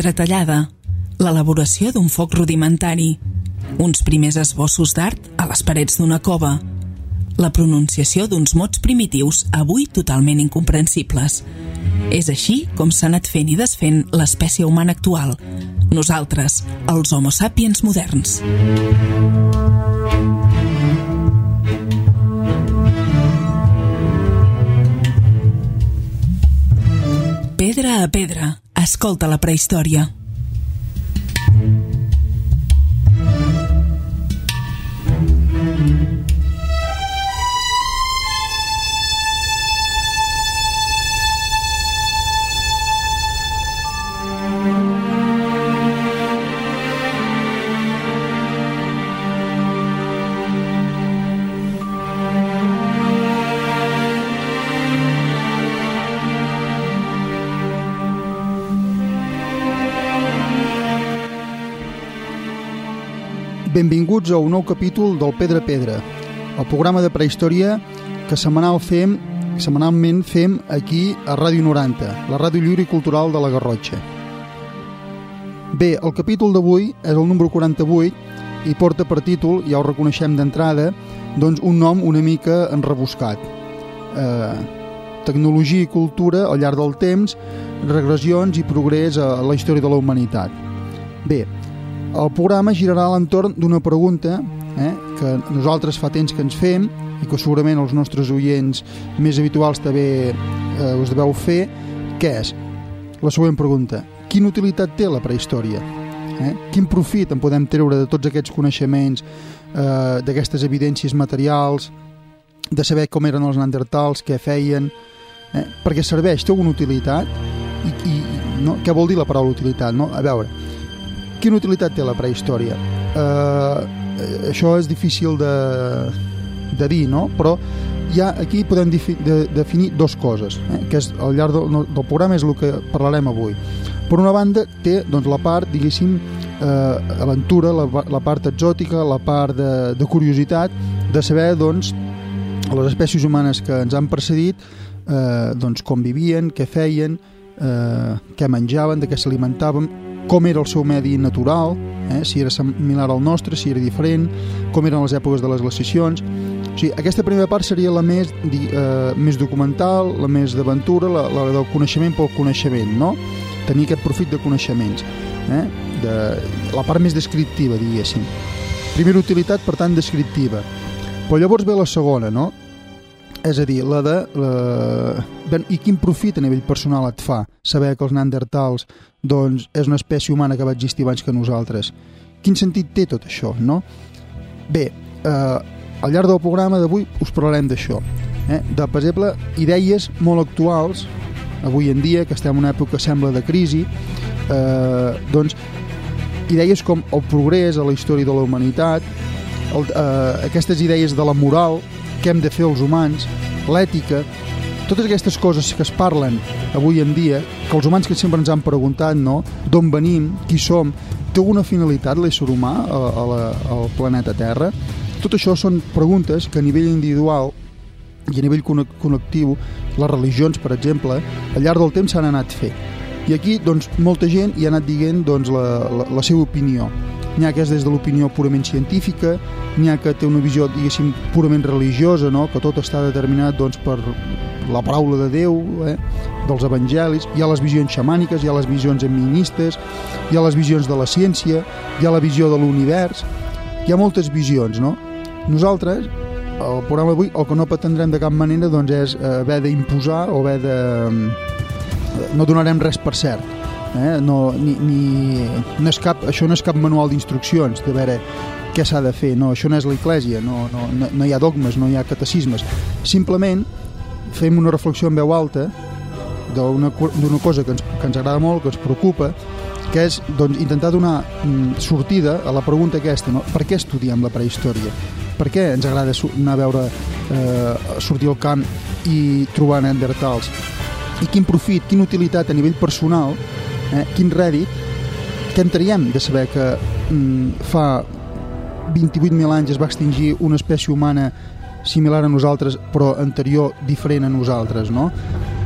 pedra tallada, l'elaboració d'un foc rudimentari, uns primers esbossos d'art a les parets d'una cova, la pronunciació d'uns mots primitius avui totalment incomprensibles. És així com s'ha anat fent i desfent l'espècie humana actual, nosaltres, els Homo sapiens moderns. Pedra a pedra, escolta la prehistòria. Benvinguts a un nou capítol del Pedra a Pedra, el programa de prehistòria que setmanalment fem aquí a Ràdio 90, la ràdio lliure i cultural de la Garrotxa. Bé, el capítol d'avui és el número 48 i porta per títol, ja ho reconeixem d'entrada, doncs un nom una mica enrebuscat. Tecnologia i cultura al llarg del temps, regressions i progrés a la història de la humanitat. Bé, el programa girarà a l'entorn d'una pregunta que nosaltres fa temps que ens fem i que segurament els nostres oients més habituals també us deveu fer, que és la següent pregunta: quina utilitat té la prehistòria? Quin profit en podem treure de tots aquests coneixements, d'aquestes evidències materials, de saber com eren els neandertals, què feien, perquè serveix, té alguna utilitat? I no? Què vol dir la paraula utilitat? No? A veure, quina utilitat té la prehistòria? Això és difícil de dir, no? Però ja aquí podem definir dues coses, que és, al llarg del programa és el que parlarem avui. Per una banda, té doncs, la part, diguéssim, aventura, la part exòtica, la part de curiositat, de saber doncs, les espècies humanes que ens han precedit, doncs, com vivien, què feien, què menjaven, de què s'alimentaven, com era el seu medi natural, si era similar al nostre, si era diferent, com eren les èpoques de les glaciacions. O sigui, aquesta primera part seria la més documental, la més d'aventura, la del coneixement pel coneixement, no? Tenir aquest profit de coneixements, la part més descriptiva, diguéssim. Primera utilitat, per tant, descriptiva. Però llavors ve la segona, no? És a dir, i quin profit a nivell personal et fa saber que els neandertals doncs, és una espècie humana que va existir abans que nosaltres? Quin sentit té tot això, no? Bé, al llarg del programa d'avui us parlarem d'això, de, per exemple, idees molt actuals, avui en dia, que estem en una època que sembla de crisi, doncs, idees com el progrés a la història de la humanitat, aquestes idees de la moral, què hem de fer els humans, l'ètica, totes aquestes coses que es parlen avui en dia, que els humans que sempre ens han preguntat, no? D'on venim, qui som, té alguna finalitat l'ésser humà al planeta Terra? Tot això són preguntes que a nivell individual i a nivell connectiu, les religions, per exemple, al llarg del temps s'han anat fent. I aquí, doncs, molta gent hi ha anat dient doncs, la seva opinió. N'hi ha que és des de l'opinió purament científica, n'hi ha que té una visió, diguéssim, purament religiosa, no? Que tot està determinat doncs, per la paraula de Déu, dels evangelis. Hi ha les visions xamàniques, hi ha les visions eministes, hi ha les visions de la ciència, hi ha la visió de l'univers, hi ha moltes visions, no? Nosaltres, al programa d'avui, el que no pretendrem de cap manera doncs, és haver d'imposar o haver de... No donarem res per cert. No és això no és cap manual d'instruccions de veure què s'ha de fer, no, això no és l'Església, no hi ha dogmes, no hi ha catecismes, simplement fem una reflexió en veu alta d'una cosa que ens agrada molt, que ens preocupa, que és doncs, intentar donar sortida a la pregunta aquesta, no? Per què estudiem la prehistòria? Per què ens agrada anar a veure sortir al camp i trobar neandertals? I quin profit, quina utilitat a nivell personal, quin rèdit, què en traiem de saber que fa 28.000 anys es va extingir una espècie humana similar a nosaltres però anterior, diferent a nosaltres, no?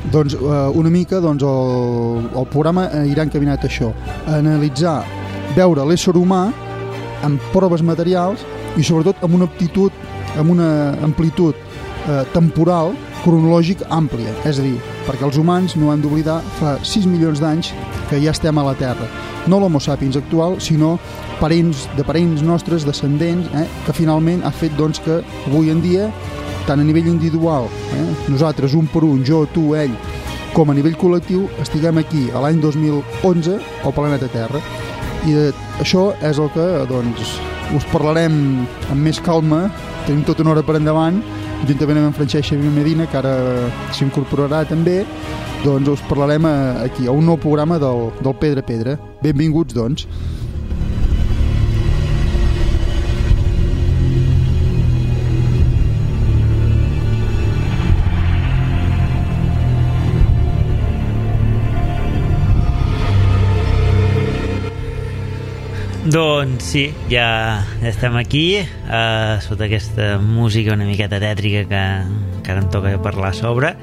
Doncs una mica doncs, el programa irà encaminat a això, a analitzar, veure l'ésser humà amb proves materials i sobretot amb una amplitud temporal cronològic àmplia, és a dir, perquè els humans no han d'oblidar fa 6 milions d'anys que ja estem a la Terra, no l'Homo sapiens actual, sinó de parents nostres, descendents, que finalment ha fet doncs, que avui en dia, tant a nivell individual, nosaltres un per un, jo, tu, ell, com a nivell col·lectiu, estiguem aquí a l'any 2011 al planeta Terra. I això és el que doncs, us parlarem amb més calma, tenim tota una hora per endavant, juntament amb en Francesc Xavier Medina, que ara s'incorporarà també, doncs us parlarem aquí, a un nou programa del Pedra a Pedra. Benvinguts, doncs. Doncs sí, ja estem aquí sota aquesta música una miqueta tètrica que ara em toca parlar sobre.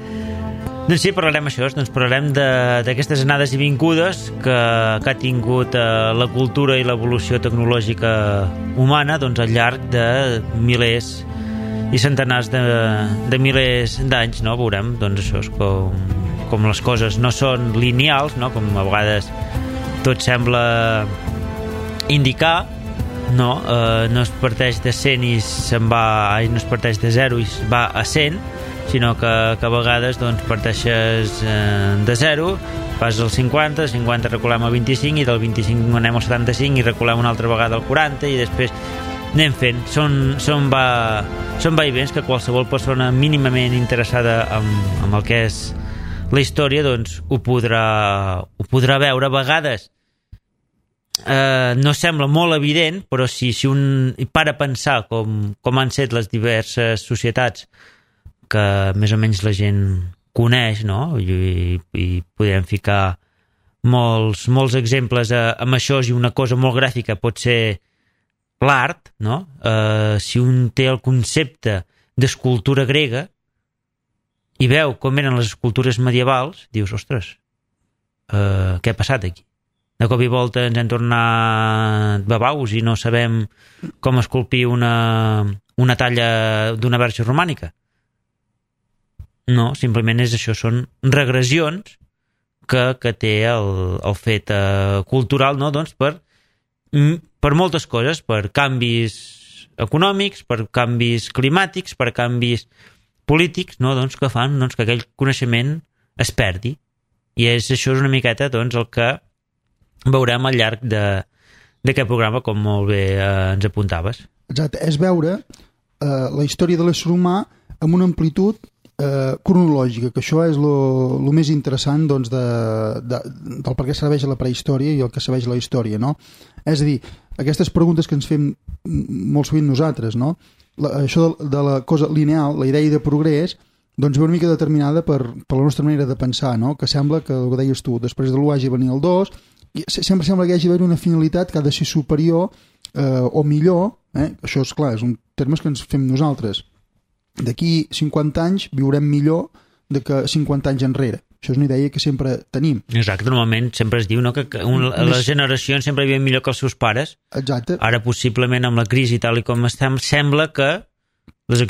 Doncs sí, parlarem això, doncs parlarem d'aquestes anades i vingudes que ha tingut la cultura i l'evolució tecnològica humana doncs, al llarg de milers i centenars de milers d'anys, no? Veurem, doncs això és com les coses no són lineals, no? Com a vegades tot sembla indicar, no es parteix de 100 i no es parteix de 0 i va a 100, sinó que a vegades doncs, parteixes de 0, vas al 50, 50 reculem al 25 i del 25 anem al 75 i reculem una altra vegada al 40 i després anem fent. Són vaivens que qualsevol persona mínimament interessada en el que és la història doncs, ho podrà veure. A vegades no sembla molt evident, però si un para a pensar com han set les diverses societats que més o menys la gent coneix, no? I podem ficar molts exemples amb això, i una cosa molt gràfica pot ser l'art, no? Si un té el concepte d'escultura grega i veu com eren les escultures medievals, dius, ostres, què ha passat aquí? De cop i volta ens hem tornat babaus i no sabem com esculpir una talla d'una verge romànica. No, simplement és això, són regressions que té el fet cultural, no? Doncs per moltes coses, per canvis econòmics, per canvis climàtics, per canvis polítics, no? Doncs que fan que aquell coneixement es perdi. I això és una miqueta doncs, el que veurem al llarg d'aquest programa, com molt bé ens apuntaves. Exacte, és veure la història de l'ésser humà amb una amplitud cronològica, que això és el més interessant doncs, del per què serveix la prehistòria i el que serveix la història, no? És a dir, aquestes preguntes que ens fem molt sovint nosaltres, no? Això de la cosa lineal, la idea de progrés, doncs ve una mica determinada per la nostra manera de pensar, no? Que sembla que, el que deies tu, després de l'1 hagi venir el 2, i sempre sembla que hi hagi d'haver una finalitat que ha de ser superior o millor, això és clar, és un termes que ens fem nosaltres. D'aquí 50 anys viurem millor de que 50 anys enrere. Això és una idea que sempre tenim. Exacte, normalment sempre es diu, no, que les generacions sempre viuen millor que els seus pares. Exacte. Ara possiblement amb la crisi tal i com estem, sembla que les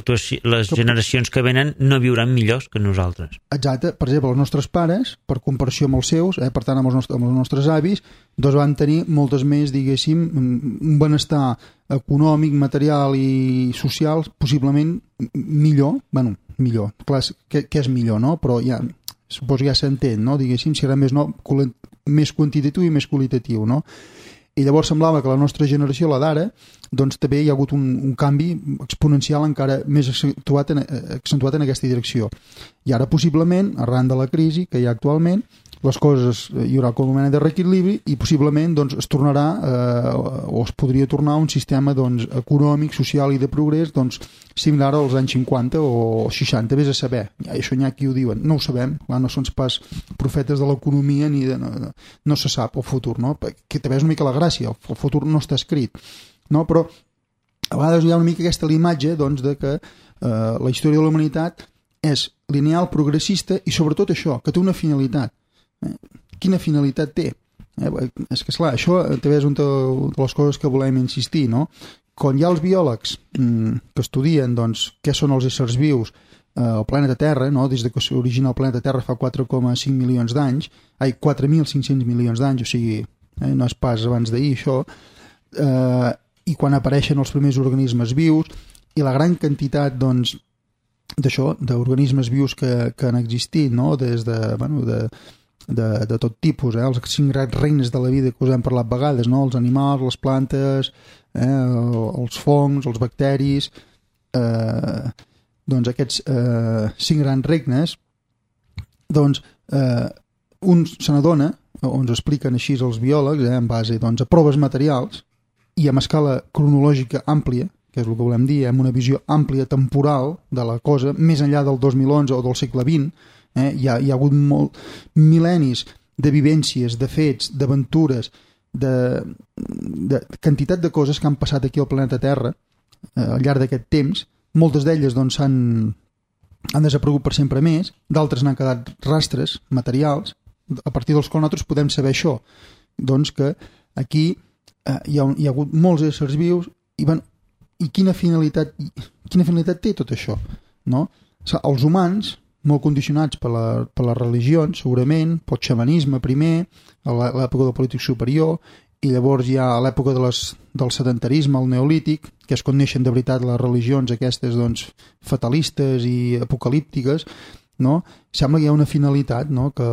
generacions que venen no viuran millors que nosaltres. Exacte. Per exemple, els nostres pares, per comparació amb els seus, per tant amb els nostres avis, doncs van tenir moltes més, diguéssim, un benestar econòmic, material i social possiblement millor. Bueno, millor. Clar, què és millor, no? Però ja, suposo que ja s'entén, no? Diguéssim, si era més quantitatiu i més qualitatiu, no? I llavors semblava que la nostra generació, la d'ara, doncs també hi ha hagut un canvi exponencial encara més accentuat en aquesta direcció. I ara possiblement, arran de la crisi que hi ha actualment, les coses hi haurà com una mena de reequilibri i possiblement doncs, es tornarà o es podria tornar a un sistema doncs, econòmic, social i de progrés doncs, similar als anys 50 o 60, vés a saber. Això n'hi ha qui ho diuen, no ho sabem, clar, no són pas profetes de l'economia ni no se sap el futur, no? Que també és una mica la gràcia, el futur no està escrit, no? Però a vegades hi ha una mica aquesta imatge doncs, de que la història de la humanitat és lineal, progressista i sobretot això, que té una finalitat. Quina finalitat té? És que, esclar, això també és una de les coses que volem insistir, no? Quan hi ha els biòlegs que estudien doncs, què són els éssers vius al planeta Terra, no? Des que s'origina el planeta Terra fa 4,5 milions d'anys, 4.500 milions d'anys, o sigui, no és pas abans d'ahir això, i quan apareixen els primers organismes vius i la gran quantitat doncs, d'això, d'organismes vius que han existit, no? Des de tot tipus, els 5 grans regnes de la vida que us hem parlat vegades, no? Els animals, les plantes, els fongs, els bacteris, doncs aquests 5 grans regnes, doncs un se n'adona, o ens expliquen així els biòlegs, en base doncs, a proves materials i amb escala cronològica àmplia, que és el que volem dir, amb una visió àmplia temporal de la cosa, més enllà del 2011 o del segle XX, hi ha hagut mil·lennis de vivències, de fets, d'aventures, de quantitat de coses que han passat aquí al planeta Terra al llarg d'aquest temps. Moltes d'elles doncs, han desaparegut per sempre més, d'altres n'han quedat rastres materials, a partir dels quals nosaltres podem saber això, doncs que aquí hi ha hagut molts éssers vius i quina finalitat té tot això, no? Els humans, molt condicionats per les religions, segurament, pel xamanisme primer, a l'època del polític superior, i llavors hi ha l'època del sedentarisme, el neolític, que és quan neixen de veritat les religions aquestes doncs, fatalistes i apocalíptiques, no? Sembla que hi ha una finalitat, no? Que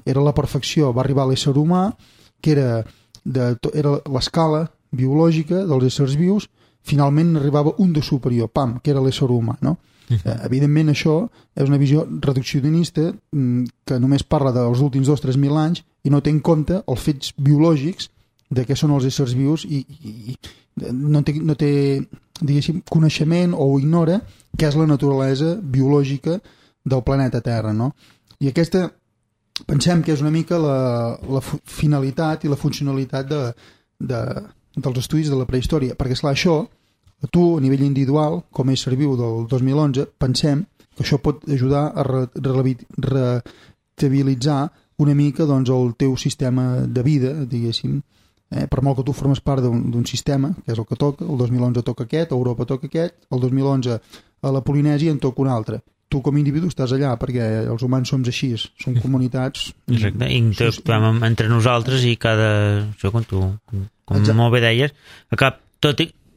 era la perfecció, va arribar a l'ésser humà, que era l'escala biològica dels éssers vius, finalment arribava un de superior, que era l'ésser humà, no? Evidentment això és una visió reduccionista que només parla dels últims 2-3.000 anys i no té en compte els fets biològics de què són els éssers vius i no té diguéssim, coneixement o ignora què és la naturalesa biològica del planeta Terra, no? I aquesta pensem que és una mica la finalitat i la funcionalitat dels estudis de la prehistòria, perquè esclar, això tu, a nivell individual, com a ésser viu del 2011, pensem que això pot ajudar a restabilitzar una mica doncs, el teu sistema de vida, diguéssim, per molt que tu formes part d'un sistema, que és el que toca, el 2011 toca aquest, a Europa toca aquest, el 2011 a la Polinèsia en toca un altre. Tu com a individu estàs allà perquè els humans som així, som comunitats. Exacte, i interactuem entre nosaltres i cada... Això, com molt bé deies,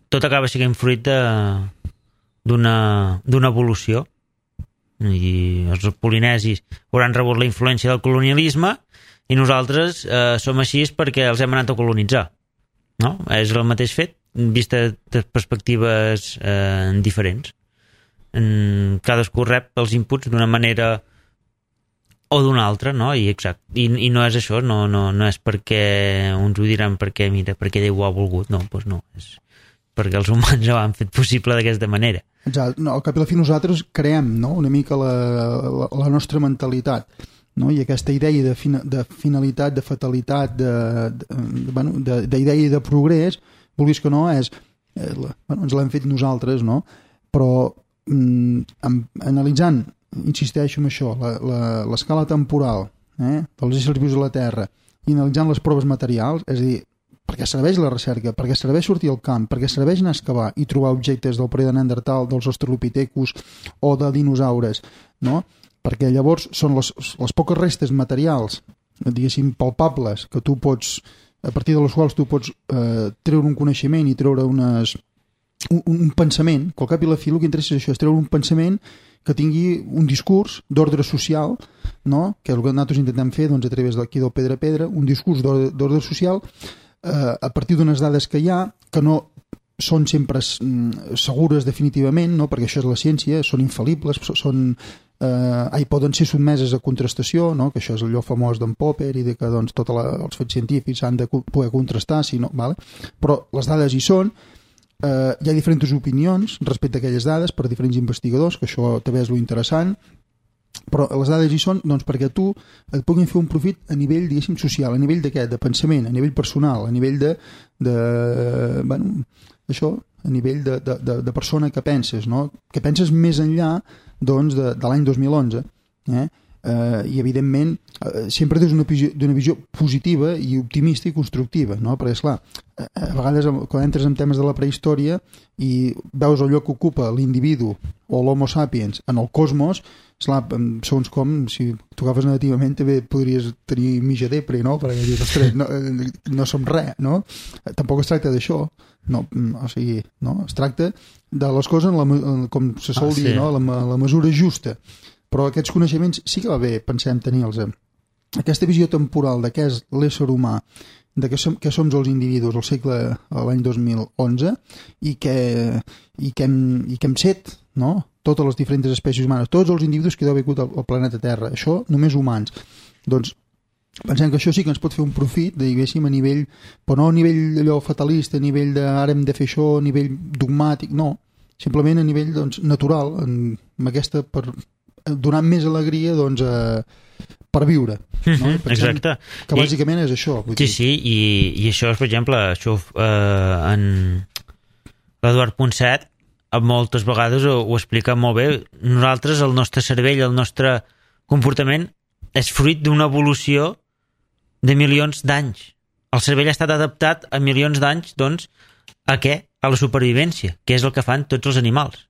tot acaba sent fruit d'una evolució, i els polinesis hauran rebut la influència del colonialisme i nosaltres som així perquè els hem anat a colonitzar, no? És el mateix fet vist de perspectives diferents. Cadascú rep els inputs d'una manera o d'una altra, no? I no és això, no és perquè uns ho diran perquè Déu ho ha volgut, no, doncs no, és perquè els humans ho han fet possible d'aquesta manera. Exacte. No, al cap i a la fi nosaltres creem, no? Una mica la nostra mentalitat, no? I aquesta idea de finalitat, de fatalitat, d'idea de progrés, vulguis que no, ens l'hem fet nosaltres, no? Però analitzant, insisteixo en això, l'escala temporal dels éssers vius a la Terra i analitzant les proves materials, és a dir, perquè serveix la recerca, perquè serveix sortir al camp, perquè serveix anar a excavar i trobar objectes del període Neandertal, dels australopithecus o de dinosaures, no? Perquè llavors són les poques restes materials, diguéssim, palpables, que tu pots, a partir de les quals tu pots treure un coneixement i treure un pensament, que al cap i la fi el que interessa és això, és treure un pensament que tingui un discurs d'ordre social, no? Que és el que nosaltres intentem fer doncs, a través d'aquí del Pedra a Pedra, un discurs d'ordre social a partir d'unes dades que hi ha, que no són sempre segures definitivament, no? Perquè això és la ciència, són infal·libles, poden ser sotmeses a contrastació, no? Que això és allò famós d'en Popper i de que doncs, tots els fets científics s'han de poder contrastar, si no, vale? Però les dades hi són, hi ha diferents opinions respecte a aquelles dades per diferents investigadors, que això també és lo interessant, però les dades hi són doncs, perquè tu et puguin fer un profit a nivell, diguéssim, social, a nivell de què? De pensament, a nivell personal, a nivell això, a nivell de persona que penses, no? Que penses més enllà doncs, de l'any 2011, i evidentment sempre des d'una visió positiva i optimista i constructiva, no? Perquè esclar, a vegades quan entres en temes de la prehistòria i veus el lloc que ocupa l'individu o l'homo sapiens en el cosmos, esclar, segons com, si t'ho agafes negativament també podries tenir mitja depre, no? Perquè dius, ostres, no som res, no? Tampoc es tracta d'això, no? O sigui, no? Es tracta de les coses com se sol dir, no? La mesura justa. Però aquests coneixements sí que va bé, pensem, tenir-los. Aquesta visió temporal de què és l'ésser humà, de què som els individus al segle, l'any 2011, i què hem set, no? Totes les diferents espècies humanes, tots els individus que heu viscut al planeta Terra, això només humans. Doncs pensem que això sí que ens pot fer un profit, diguéssim, a nivell, però no a nivell allò fatalista, a nivell de ara hem de fer això, a nivell dogmàtic, no. Simplement a nivell doncs, natural, amb aquesta donant més alegria doncs, per viure, no? Exacte, que bàsicament és això, sí, i això és, per exemple, això en l'Eduard Ponset moltes vegades ho explica molt bé. Nosaltres, el nostre cervell, el nostre comportament és fruit d'una evolució de milions d'anys. El cervell ha estat adaptat a milions d'anys, doncs, a què? A la supervivència, que és el que fan tots els animals,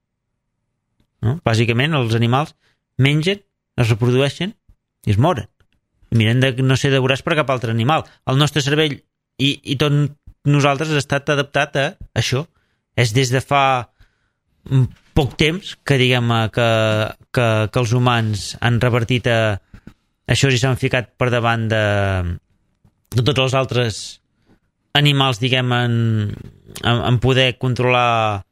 no? Bàsicament els animals mengen, es reprodueixen i es moren. Miren de no ser devorats per cap altre animal. El nostre cervell i tot nosaltres ha estat adaptat a això. És des de fa poc temps que diguem que els humans han revertit a això i s'han ficat per davant de tots els altres animals, diguem, en poder controlar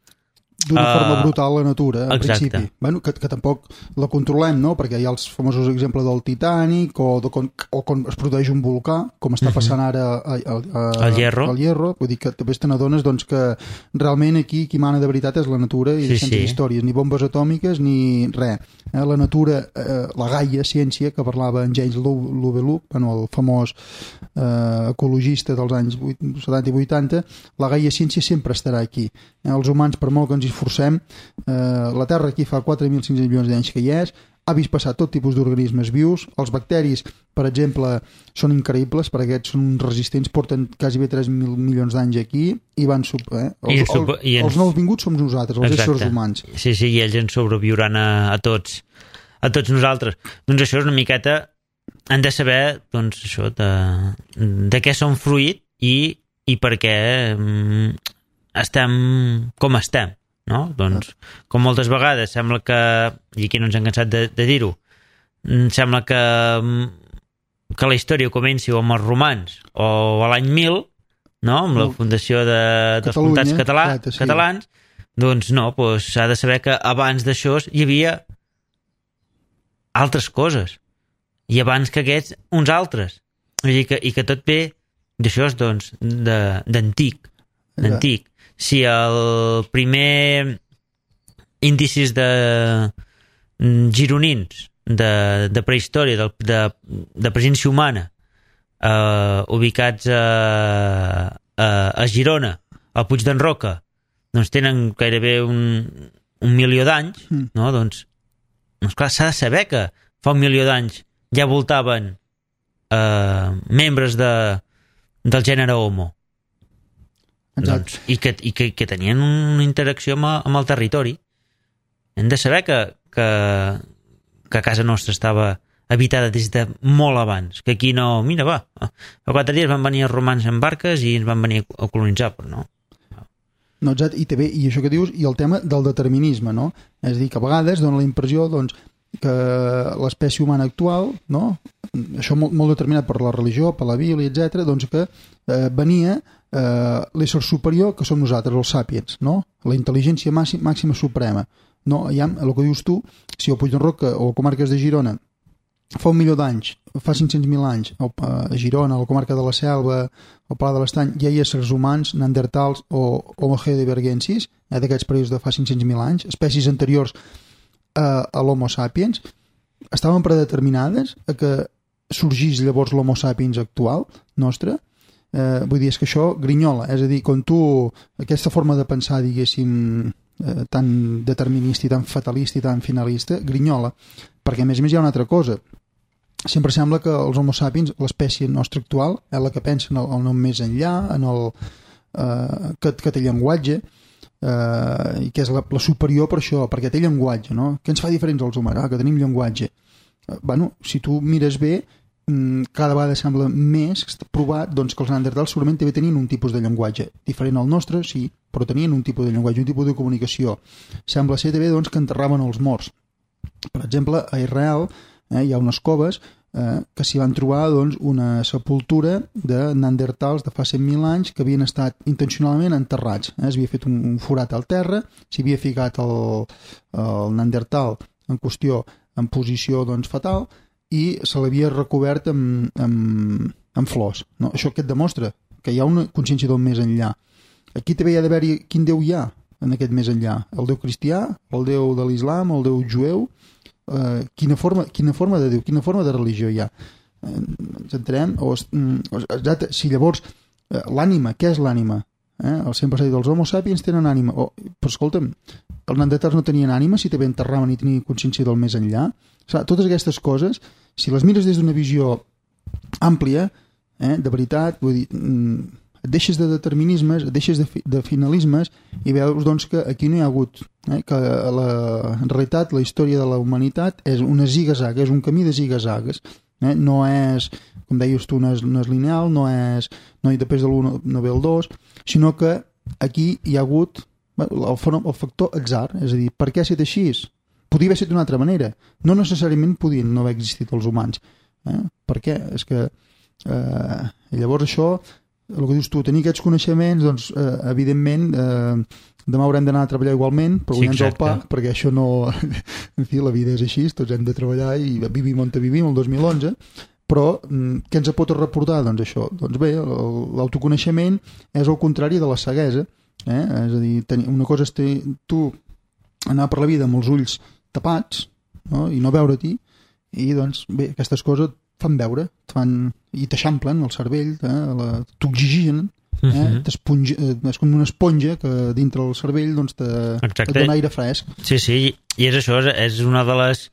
d'una forma brutal la natura, en exacte. Principi. Bueno, que tampoc la controlem, no? Perquè hi ha els famosos exemples del Titanic o quan es produeix un volcà, com està passant ara al Hierro. Vull dir que també te n'adones doncs, que realment aquí qui mana de veritat és la natura i sense històries, ni bombes atòmiques ni res. La natura, la Gaia ciència que parlava en James Lovelock, el famós ecologista dels anys 70 i 80, la Gaia ciència sempre estarà aquí. Els humans, per molt que ens hi esforcem, la Terra aquí fa 4.500 milions d'anys que hi és, ha vist passar tot tipus d'organismes vius. Els bacteris, per exemple, són increïbles perquè aquests són resistents, porten quasi bé 3 milions d'anys aquí i van... Els nous vinguts som nosaltres, els éssers humans. Sí, i ells ens sobreviuran a tots nosaltres. Doncs això és una miqueta... Han de saber, doncs, això, de què som fruit i per què estem com estem, no? Doncs, com moltes vegades sembla que, i aquí no ens hem cansat de dir-ho, sembla que la història comenci o amb els romans o a l'any 1000, no? Amb la fundació dels comtats catalans, doncs no, s'ha de saber que abans d'això hi havia altres coses, i abans que aquests, uns altres. I que tot ve d'això, doncs, d'antic. Si el primer índicis de gironins de prehistòria, de presència humana, ubicats a Girona, al Puig d'en Roca, doncs tenen gairebé un milió d'anys, no? Doncs clar, s'ha de saber que fa un milió d'anys ja voltaven membres del gènere Homo. Doncs, i que tenien una interacció amb el territori. Hem de saber que casa nostra estava habitada des de molt abans, que aquí no... Mira, fa 4 dies van venir els romans en barques i ens van venir a colonitzar, però no. No, exacte, i això que dius, i el tema del determinisme, no? És a dir, que a vegades dona la impressió, doncs, que l'espècie humana actual, no? Això molt determinat per la religió, per la Bíblia, etc., doncs que venia l'ésser superior que som nosaltres, els sàpiens, no? La intel·ligència màxima suprema. No, ja, el que dius tu, si el Puig d'en Roca o comarques de Girona fa 1 milió d'anys, fa 500.000 anys, a Girona, a la comarca de la Selva, al Pla de l'Estany, ja hi ha éssers humans, neandertals o Homo heidelbergensis, d'aquests períodes de fa 500.000 anys, espècies anteriors a l'Homo sapiens, estaven predeterminades a que sorgís llavors l'Homo sapiens actual nostre. vull dir, és que això grinyola, és a dir, quan tu, aquesta forma de pensar, diguéssim, tan determinista i tan fatalista i tan finalista, grinyola, perquè a més hi ha una altra cosa. Sempre sembla que els homo sapiens, l'espècie nostra actual, és la que pensa en el nom més enllà, en el que té llenguatge, i que és la superior per això, perquè té llenguatge, no? Què ens fa diferents als humans? Que tenim llenguatge. Bueno, si tu mires bé, cada vegada sembla més provat doncs, que els neandertals segurament també tenien un tipus de llenguatge diferent al nostre, sí, però tenien un tipus de llenguatge, un tipus de comunicació. Sembla ser també doncs, que enterraven els morts. Per exemple, a Israel hi ha unes coves que s'hi van trobar doncs, una sepultura de neandertals de fa 100.000 anys que havien estat intencionalment enterrats. S'havia fet un forat al terra, s'hi havia ficat el neandertal en qüestió en posició doncs, fatal i se l'havia recobert amb flors. No? Això què et demostra? Que hi ha una consciència del més enllà. Aquí també hi ha d'haver-hi quin Déu hi ha en aquest més enllà. El Déu cristià, el Déu de l'Islam, el Déu jueu, quina forma de Déu, quina forma de religió hi ha. Ens entenem? Si llavors l'ànima, què és l'ànima? El 100% dels homo sapiens tenen ànima. Però escolta'm, els neandertals no tenien ànima si també enterraven i tenien consciència del més enllà. Totes aquestes coses, si les mires des d'una visió àmplia, de veritat, vull dir, et deixes de determinismes, et deixes de finalismes i veus doncs, que aquí no hi ha hagut, que en realitat la història de la humanitat és una ziga-zaga, és un camí de ziga-zagues, no és, com deies tu, no és lineal, no hi després de l'1 no ve el 2, sinó que aquí hi ha hagut el factor atzar, és a dir, per què ha estat així? Podia haver estat d'una altra manera, no necessàriament podien no haver existit els humans. Per què? És que llavors això, el que dius tu, tenir aquests coneixements, doncs, evidentment, demà haurem d'anar a treballar igualment, però guanyant el pa, perquè això no... En fi, la vida és així, tots hem de treballar i vivim on vivim, el 2011, però què ens pot reportar? Doncs això, doncs bé, l'autoconeixement és el contrari de la ceguesa, és a dir, una cosa és tu anar per la vida amb els ulls tapats, no? I no veure-t'hi, i doncs bé, aquestes coses fan veure, i t'eixamplen el cervell, t'oxigenen, és com una esponja que dintre del cervell doncs, et dona aire fresc. Sí, i és això, és una de les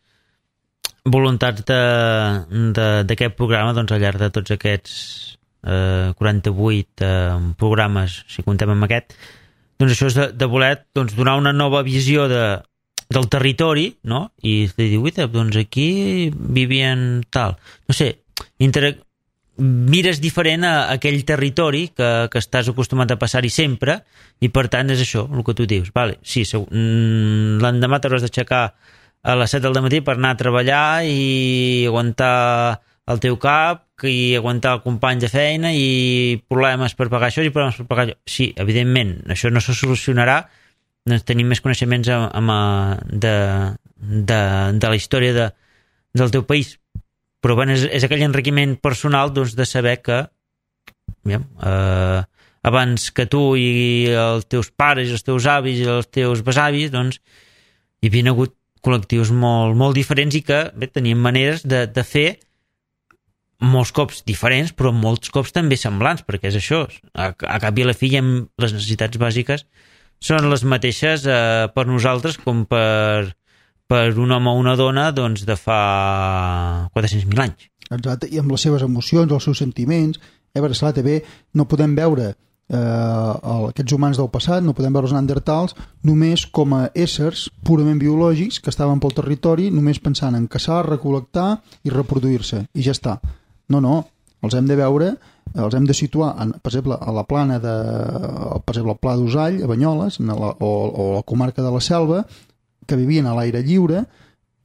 voluntats d'aquest programa, doncs al llarg de tots aquests 48 programes, si comptem amb aquest, doncs això és de voler doncs, donar una nova visió del territori, no? I de dir, doncs aquí vivien tal. No sé, mires diferent a aquell territori que estàs acostumat a passar-hi sempre i per tant és això, el que tu dius. Vale, sí, l'endemà t'hauràs d'aixecar a les 7 del matí per anar a treballar i aguantar el teu cap i aguantar el company de feina i problemes per pagar això i problemes per pagar allò. Sí, evidentment, això no se solucionarà doncs tenim més coneixements de la història del teu país, però bueno, és aquell enriquiment personal doncs, de saber que abans que tu i els teus pares, els teus avis i els teus besavis doncs, hi havia hagut col·lectius molt, molt diferents i que bé, tenien maneres de fer molts cops diferents, però molts cops també semblants, perquè és això, a cap i a la fi les necessitats bàsiques són les mateixes per nosaltres com per un home o una dona doncs, de fa 400.000 anys. Exacte, i amb les seves emocions, els seus sentiments. Per esclar, també no podem veure aquests humans del passat, no podem veure els neandertals només com a éssers purament biològics que estaven pel territori només pensant en caçar, recol·lectar i reproduir-se, i ja està. No, els hem de veure, els hem de situar, per exemple, a la plana per exemple, al Pla d'Usall, a Banyoles, o la comarca de la Selva, que vivien a l'aire lliure,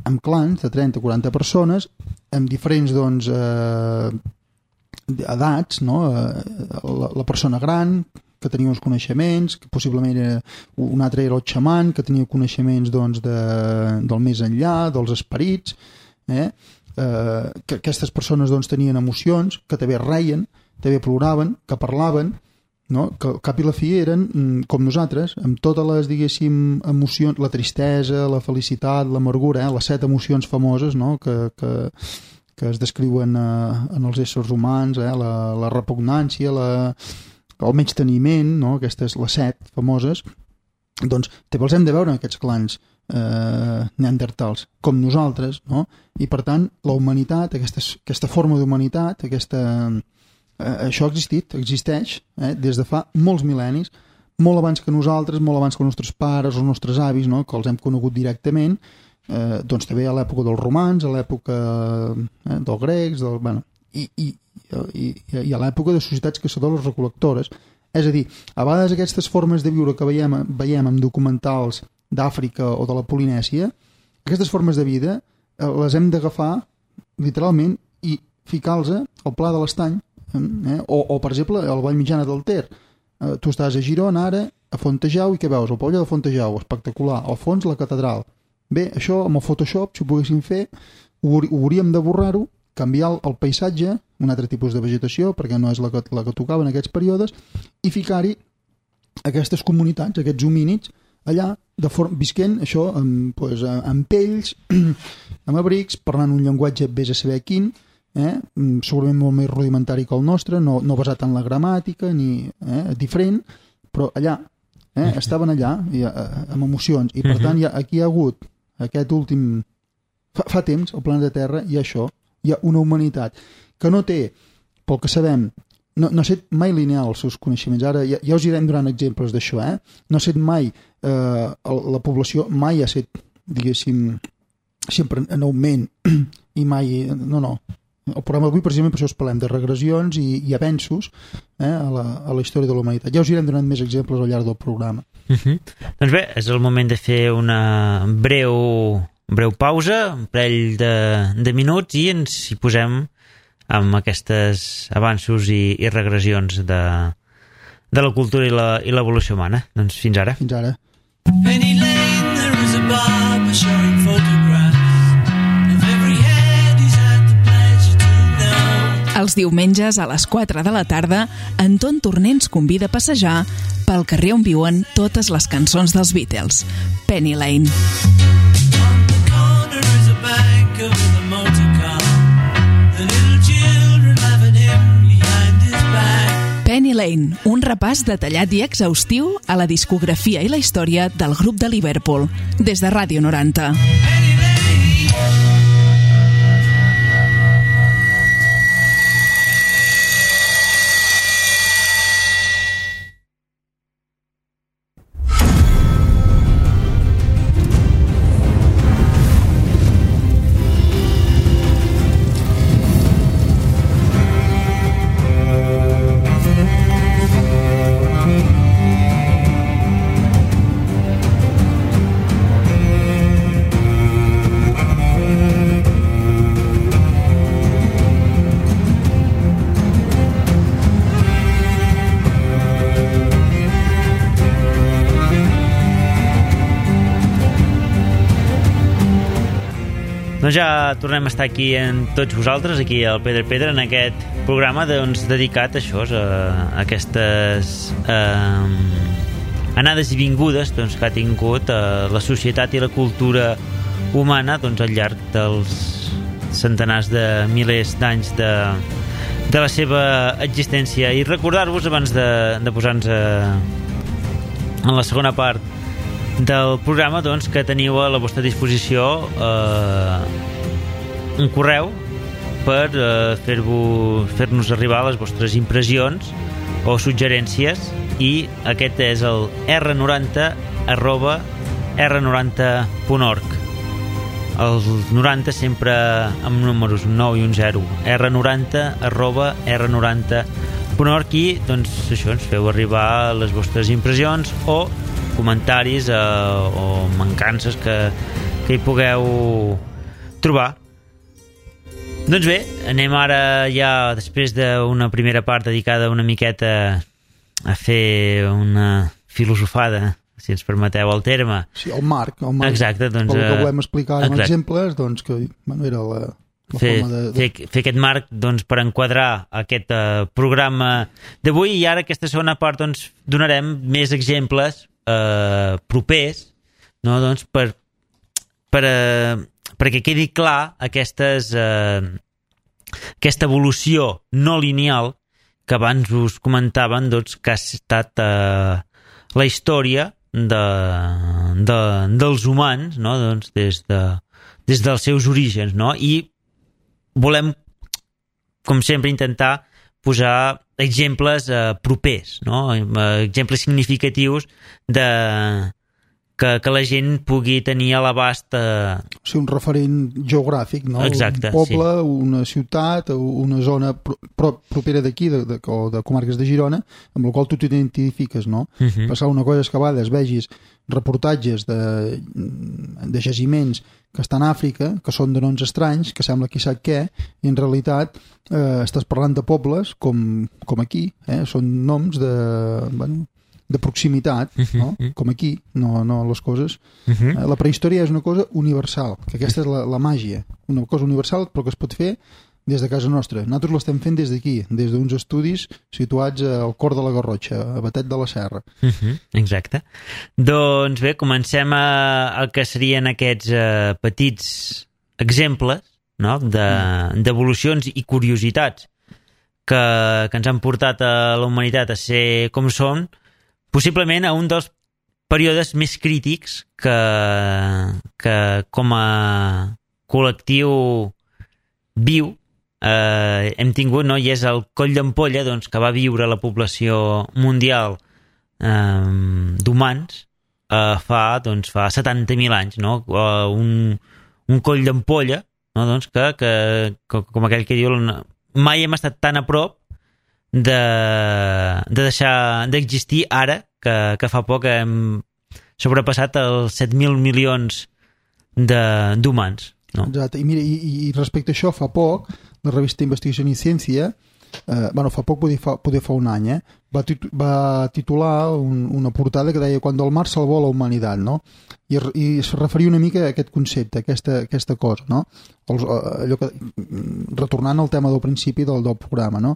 amb clans de 30 o 40 persones, amb diferents doncs, edats, no? La persona gran, que tenia uns coneixements, que possiblement un altre era el xaman, que tenia coneixements doncs, del més enllà, dels esperits, que aquestes persones doncs, tenien emocions, que també reien, també ploraven, que parlaven, no? Que al cap i la fi eren com nosaltres, amb totes les, diguéssim, emocions, la tristesa, la felicitat, l'amargura, les 7 emocions famoses, no? que que es descriuen en els éssers humans, la repugnància, el menysteniment, no? Aquestes, les 7 famoses, doncs també els hem de veure en aquests clans neandertals, com nosaltres, no? I per tant, la humanitat, aquesta forma d'humanitat, això ha existit, existeix, des de fa molts mil·lennis, molt abans que nosaltres, molt abans que els nostres pares, els nostres avis, no? Que els hem conegut directament, doncs també a l'època dels romans, a l'època dels grecs, i a l'època de societats caçadores recol·lectores. És a dir, a vegades aquestes formes de viure que veiem en documentals d'Àfrica o de la Polinèsia, aquestes formes de vida les hem d'agafar literalment i ficar-los al Pla de l'Estany, o per exemple al Vall Mitjana del Ter. Tu estàs a Girona ara, a Fontejau, i què veus? El pavelló de Fontejau, espectacular, al fons la catedral. Bé, això amb el Photoshop, si ho poguéssim fer, ho hauríem de borrar-ho, canviar el paisatge, un altre tipus de vegetació, perquè no és la que tocava en aquests períodes, i ficar-hi aquestes comunitats, aquests homínids, allà, visquent això amb pells, amb abrics, parlant un llenguatge vés a saber quin, segurament molt més rudimentari que el nostre, no basat en la gramàtica, ni diferent, però allà, estaven allà, amb emocions, i per tant aquí hi ha hagut aquest últim... Fa temps, al planeta Terra, hi ha això, hi ha una humanitat que no té, pel que sabem, no ha estat mai lineal els seus coneixements. Ara ja us irem donant exemples d'això, no ha estat mai, la població mai ha estat, diguéssim, sempre en augment, i mai... No. El programa d'avui, precisament, per això us parlem de regressions i avenços a la història de la humanitat. Ja us irem donant més exemples al llarg del programa. Doncs bé, és el moment de fer una breu pausa, un parell de minuts, i ens hi posem amb aquests avanços i regressions de la cultura i l'evolució humana. Doncs fins ara. Fins ara. Penny Lane, there is a barber showing photographs of every head he's had the pleasure to know. Els diumenges a les 4 de la tarda, Anton Torné ens convida a passejar pel carrer on viuen totes les cançons dels Beatles. Penny Lane. On the corner is a banker with a motor car. The little children laughing him behind his back. Penny Lane, un repàs detallat i exhaustiu a la discografia i la història del grup de Liverpool, des de Ràdio 90. Penny Lane. Doncs ja tornem a estar aquí amb tots vosaltres, aquí al Pedra, en aquest programa dedicat a això, a aquestes anades i vingudes que ha tingut la societat i la cultura humana al llarg dels centenars de milers d'anys de la seva existència. I recordar-vos, abans de posar-nos en la segona part del programa, que teniu a la vostra disposició un correu per fer-nos arribar les vostres impressions o suggerències, i aquest és el r90@r90.org. El 90 sempre amb números, un 9 i un 0, r90@r90.org, i això, ens feu arribar les vostres impressions o comentaris o mancances que hi pugueu trobar. Doncs bé, anem ara ja, després d'una primera part dedicada una miqueta a fer una filosofada, si ens permeteu el terme. Sí, el marc. Exacte, el que volem explicar amb exemples, que era la forma de... Fer aquest marc per enquadrar aquest programa d'avui, i ara aquesta segona part donarem més exemples propers, perquè quedi clar aquestes aquesta evolució no lineal que abans us comentaven, doncs, que ha estat la història dels humans, no? Doncs des dels seus orígens, no? I volem, com sempre, intentar posar exemples propers, no? Exemples significatius que la gent pugui tenir a l'abast... O sigui, un referent geogràfic, no? Exacte, un poble, sí. Una ciutat, una zona propera d'aquí, o de comarques de Girona, amb la qual tu t'identifiques, no? Passar una cosa és que a vegades vegis reportatges de jaciments que estan a Àfrica, que són de noms estranys, que sembla qui sap què, i en realitat estàs parlant de pobles com aquí, són noms de proximitat, no? Com aquí, no les coses. La prehistòria és una cosa universal, que aquesta és la màgia, una cosa universal però que es pot fer des de casa nostra. Nosaltres l'estem fent des d'aquí, des d'uns estudis situats al cor de la Garrotxa, a Batet de la Serra. Exacte. Doncs bé, comencem el que serien aquests petits exemples, no? D'evolucions i curiositats que ens han portat a la humanitat a ser com som, possiblement a un dels períodes més crítics que com a col·lectiu viu hem tingut, no? I és el coll d'ampolla, doncs, que va viure la població mundial d'humans fa 70.000 anys, no? Un coll d'ampolla, no? Doncs que com aquell que diu, mai hem estat tan a prop de deixar d'existir ara que fa poc hem sobrepassat els 7.000 milions d'humans, no? Exacte, i mira, i respecte a això, fa poc la revista Investigació i Ciència, fa poc, poder fa un any, va titular una portada que deia «Cuando el mar salvó la humanitat», no? I es referia una mica a aquest concepte, a aquesta cosa, no? Allò que, retornant al tema del principi del programa, no?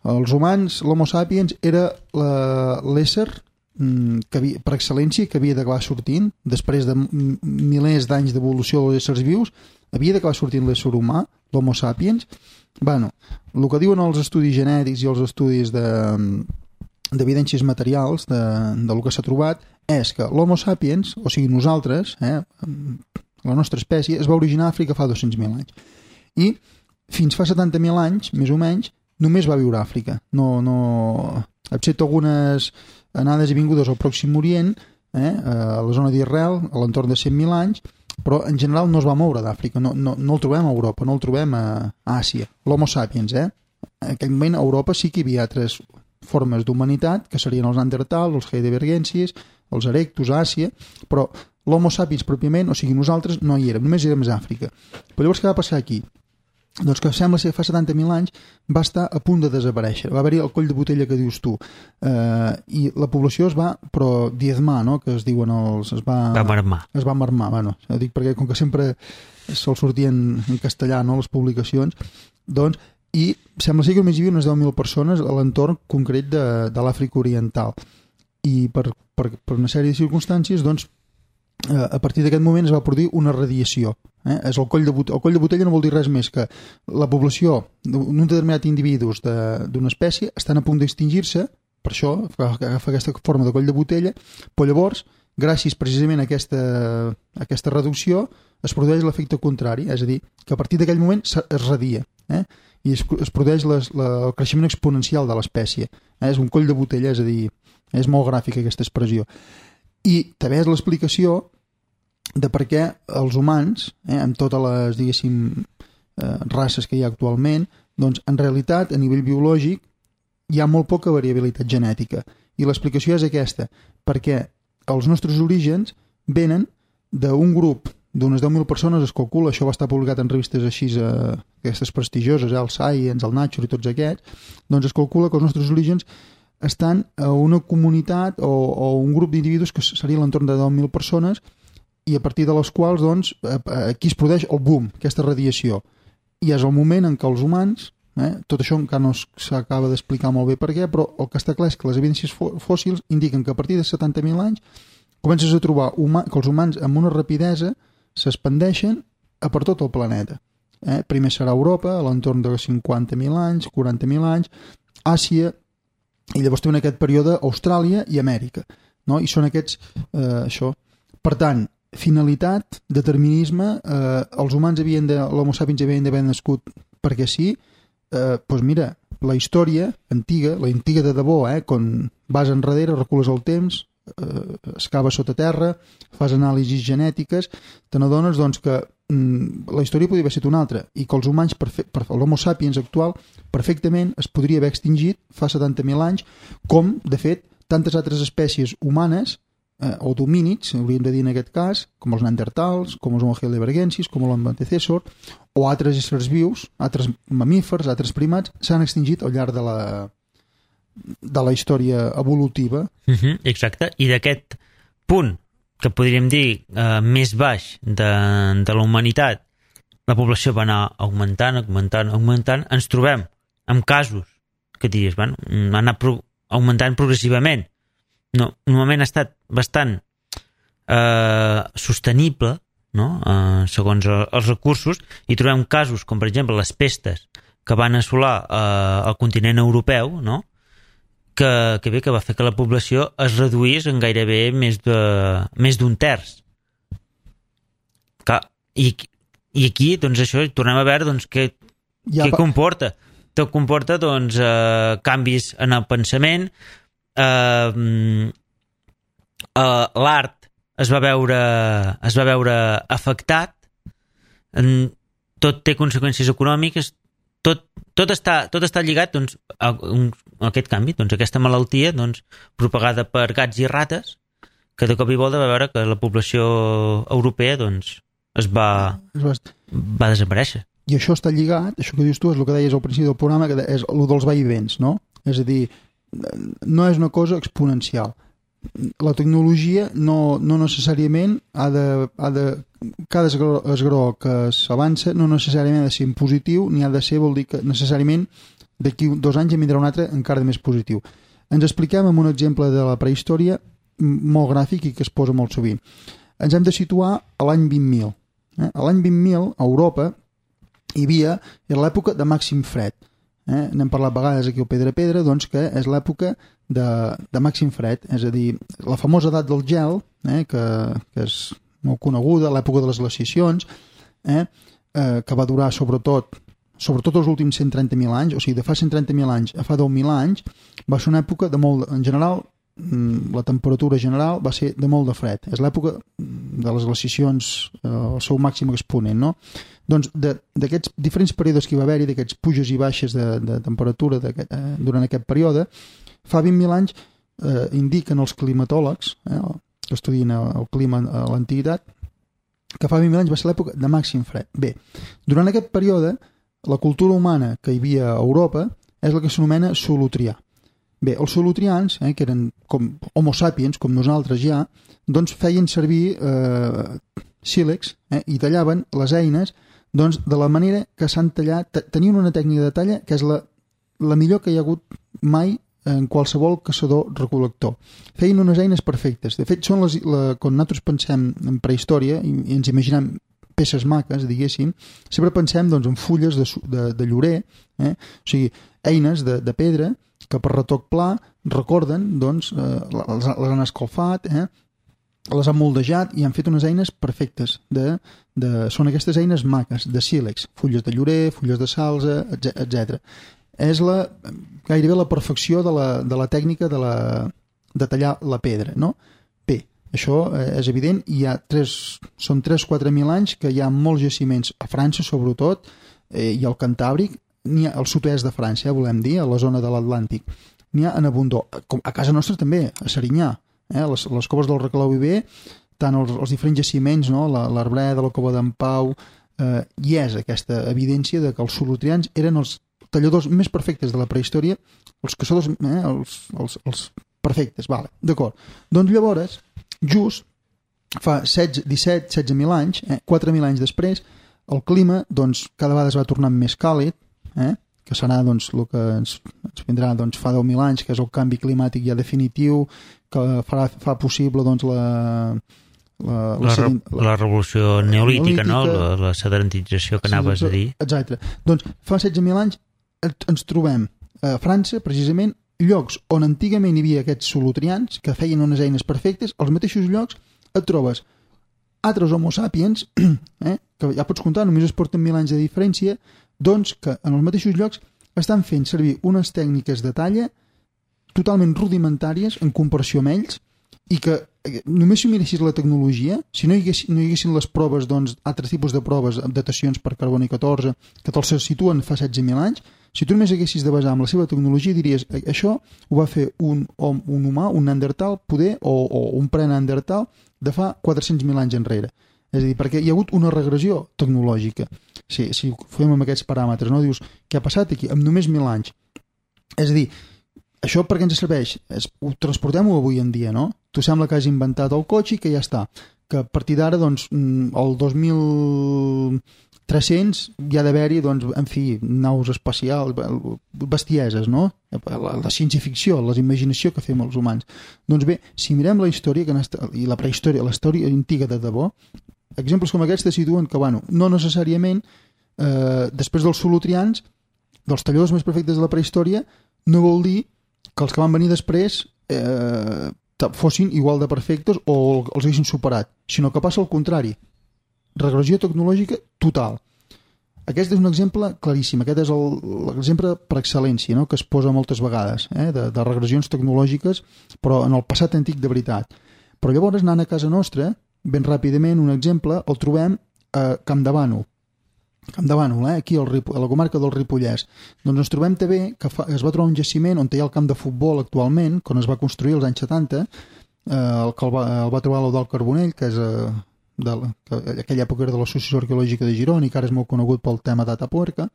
Els humans, l'Homo sapiens, era l'ésser per excel·lència que havia d'acabar sortint, després de milers d'anys d'evolució dels éssers vius, havia d'acabar sortint l'ésser humà, l'Homo sapiens. El que diuen els estudis genètics i els estudis d'evidències materials del que s'ha trobat és que l'Homo sapiens, o sigui nosaltres, la nostra espècie, es va originar a Àfrica fa 200.000 anys. I fins fa 70.000 anys, més o menys, només va viure a Àfrica. Excepte algunes anades i vingudes al Pròxim Orient, a la zona d'Israel, a l'entorn de 100.000 anys, però en general no es va moure d'Àfrica, no el trobem a Europa, no el trobem a Àsia. L'Homo sapiens, En aquell moment a Europa sí que hi havia altres formes d'humanitat, que serien els Neandertals, els heidelbergensis, els erectus a Àsia, però l'Homo sapiens pròpiament, o sigui nosaltres, no hi érem, només érem a Àfrica. Però llavors què va passar aquí? Doncs que sembla ser que fa 70.000 anys va estar a punt de desaparèixer, va haver-hi el coll de botella que dius tu, i la població es va diezmar, no? Que es diuen es va marmar, ho dic perquè com que sempre sol sortir en castellà, no, les publicacions, doncs, i sembla ser que només hi havia unes 10.000 persones a l'entorn concret de l'Àfrica Oriental, i per una sèrie de circumstàncies, doncs, a partir d'aquest moment es va produir una radiació. És el coll de botella no vol dir res més que la població d'un determinat individus d'una espècie estan a punt d'extingir-se, per això agafa aquesta forma de coll de botella, però llavors, gràcies precisament a aquesta reducció, es produeix l'efecte contrari, és a dir, que a partir d'aquell moment es radia, i es produeix el creixement exponencial de l'espècie. És un coll de botella, és a dir, és molt gràfica aquesta expressió. I també és l'explicació de per què els humans, amb totes les, diguéssim, races que hi ha actualment, doncs en realitat, a nivell biològic, hi ha molt poca variabilitat genètica. I l'explicació és aquesta, perquè els nostres orígens venen d'un grup d'unes 10.000 persones, es calcula, això va estar publicat en revistes així, aquestes prestigioses, el Science, el Nature i tots aquests, doncs es calcula que els nostres orígens estan a una comunitat o un grup d'individus que seria a l'entorn de 10.000 persones, i a partir de les quals, doncs, aquí es produeix el boom, aquesta radiació. I és el moment en què els humans, tot això encara no s'acaba d'explicar molt bé per què, però el que està clar és que les evidències fòssils indiquen que a partir de 70.000 anys comences a trobar que els humans amb una rapidesa s'expandeixen a per tot el planeta. Primer serà Europa, a l'entorn de 50.000 anys, 40.000 anys, Àsia, i llavors té en aquest període Austràlia i Amèrica, no? I són aquests, això. Per tant, finalitat, determinisme, els humans l'Homo sapiens havien d'haver nascut perquè sí, doncs mira, la història antiga, la antiga de debò, quan vas enrere, recules el temps, excaves sota terra, fas anàlisis genètiques, te n'adones doncs, que la història podria haver estat una altra i que els humans, l'Homo sapiens actual, perfectament es podria haver extingit fa 70.000 anys, com, de fet, tantes altres espècies humanes o domínids, hauríem de dir en aquest cas, com els neandertals, com els Homo heidelbergensis, com l'antecessor, o altres éssers vius, altres mamífers, altres primats, s'han extingit al llarg de la història evolutiva. Exacte, i d'aquest punt que podríem dir més baix de la humanitat, la població va anar augmentant, ens trobem amb casos que diries, van anar augmentant progressivament. No, normalment ha estat bastant sostenible, no? Segons els recursos, i trobem casos com per exemple les pestes que van assolar el continent europeu, no? que va fer que la població es reduís en gairebé més d'un terç. I aquí, doncs això, tornem a veure doncs, què comporta. Tot comporta doncs, canvis en el pensament, l'art es va veure afectat, tot té conseqüències econòmiques, tot està lligat doncs, a aquest canvi, doncs, a aquesta malaltia doncs, propagada per gats i rates, que de cop i volta va veure que la població europea doncs, va desaparèixer. I això està lligat, això que dius tu és el que deies al principi del programa, que és el dels vaivens, no? És a dir, no és una cosa exponencial. La tecnologia no necessàriament cada esgró que s'avança no necessàriament ha de ser en positiu, ni ha de ser, vol dir que necessàriament d'aquí 2 anys en vindrà un altre encara més positiu. Ens expliquem amb un exemple de la prehistòria molt gràfic i que es posa molt sovint. Ens hem de situar a l'any 20.000. A l'any 20.000, a Europa, hi havia l'època de màxim fred. N'hem parlat vegades aquí al Pedra, doncs que és l'època de màxim fred, és a dir, la famosa edat del gel, que és molt coneguda, l'època de les glaciacions, que va durar sobretot els últims 130.000 anys, o sigui, de fa 130.000 anys a fa 10.000 anys, va ser una època de molt, en general, la temperatura general va ser de molt de fred. És l'època de les glaciacions al seu màxim exponent, no? Doncs d'aquests diferents períodes que hi va haver-hi, d'aquests puges i baixes de temperatura durant aquest període, fa 20.000 anys indiquen els climatòlegs, que estudien el clima a l'antiguitat, que fa 20.000 anys va ser l'època de màxim fred. Bé, durant aquest període, la cultura humana que hi havia a Europa és la que s'anomena Solutrià. Bé, els solutrians, que eren com Homo sapiens, com nosaltres ja, doncs feien servir sílex i tallaven les eines doncs, de la manera que s'han tallat. Tenien una tècnica de talla que és la millor que hi ha hagut mai en qualsevol caçador-recol·lector. Feien unes eines perfectes. De fet, són quan nosaltres pensem en prehistòria i ens imaginem peces maques, diguéssim, sempre pensem doncs, en fulles de llorer, o sigui, eines de pedra que per retoc pla recorden, doncs, les han escalfat, les han moldejat i han fet unes eines perfectes. Són aquestes eines maques, de sílex, fulles de llorer, fulles de salze, etc. És gairebé la perfecció de la tècnica de tallar la pedra, no? Bé, això és evident, són 3-4.000 anys que hi ha molts jaciments a França, sobretot, i al Cantàbric, n'hi ha al sud-est de França, volem dir, a la zona de l'Atlàntic. N'hi ha en abundor. A casa nostra també, a Serinyà. Les coves del Reclau Viver, tant els diferents jaciments, no? l'Arbreda, la cova d'en Pau, hi és aquesta evidència de que els solutrians eren els talladors més perfectes de la prehistòria, els caçadors, els perfectes, vale, d'acord. Doncs llavors, just fa 17-16.000 anys, 4.000 anys després, el clima doncs, cada vegada es va tornant més càlid, que serà doncs, el que ens vindrà doncs, fa 10.000 anys, que és el canvi climàtic ja definitiu, que fa possible doncs, la revolució neolítica, no? La sedentització que anaves a dir. Exacte. Doncs fa 16.000 anys ens trobem a França, precisament, llocs on antigament hi havia aquests solutrians que feien unes eines perfectes, als mateixos llocs et trobes altres homo sapiens, que ja pots comptar, només es porten 1.000 anys de diferència, doncs que en els mateixos llocs estan fent servir unes tècniques de talla totalment rudimentàries en comparació amb ells, i que només si miressis la tecnologia, si no hi haguessin les proves, doncs, altres tipus de proves, datacions per carboni 14, que te'ls situen fa 16.000 anys, si tu només haguessis de basar en la seva tecnologia, diries, això ho va fer un humà, un neandertal, poder, o un pre-neandertal, de fa 400.000 anys enrere. És a dir, perquè hi ha hagut una regressió tecnològica. Si ho fem amb aquests paràmetres, no? Dius, què ha passat aquí? Amb només 1.000 anys. És a dir, això per què ens serveix? Ho transportem-ho avui en dia, no? Tu sembla que has inventat el cotxe i que ja està. Que a partir d'ara, doncs, el 2300 hi ha d'haver-hi, doncs, en fi, naus espacials, bestieses, no? La ciència-ficció, la imaginació que fem els humans. Doncs bé, si mirem la història i la prehistòria, la història antiga de debò, exemples com aquests te situen que, bueno, no necessàriament, després dels solutrians, dels talladors més perfectes de la prehistòria, no vol dir que els que van venir després fossin igual de perfectes o els haguessin superat, sinó que passa al contrari. Regressió tecnològica total. Aquest és un exemple claríssim, aquest és l'exemple per excel·lència, no? Que es posa moltes vegades, de regressions tecnològiques, però en el passat antic de veritat. Però llavors, anant a casa nostra, ben ràpidament, un exemple, el trobem a Campdevànol. Campdevànol, aquí a la comarca del Ripollès. Doncs ens trobem també que es va trobar un jaciment on hi ha el camp de futbol actualment, quan es va construir als anys 70, el que el va trobar l'Eudald Carbonell, que és aquella època era de l'Associació Arqueològica de Girona i que ara és molt conegut pel tema Data Puerca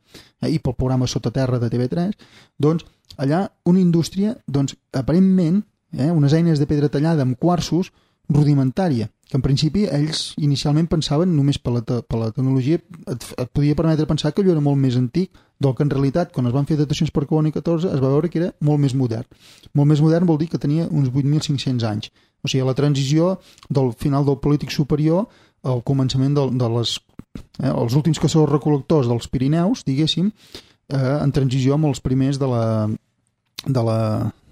i pel programa Sota Terra de TV3. Doncs allà una indústria, doncs aparentment, unes eines de pedra tallada amb quarsos rudimentària, que en principi ells inicialment pensaven només per la tecnologia et podia permetre pensar que allò era molt més antic del que en realitat quan es van fer datacions per carboni 14 es va veure que era molt més modern. Molt més modern vol dir que tenia uns 8.500 anys. O sigui, la transició del final del Polític Superior al començament els últims caçadors recol·lectors dels Pirineus, diguéssim, en transició amb els primers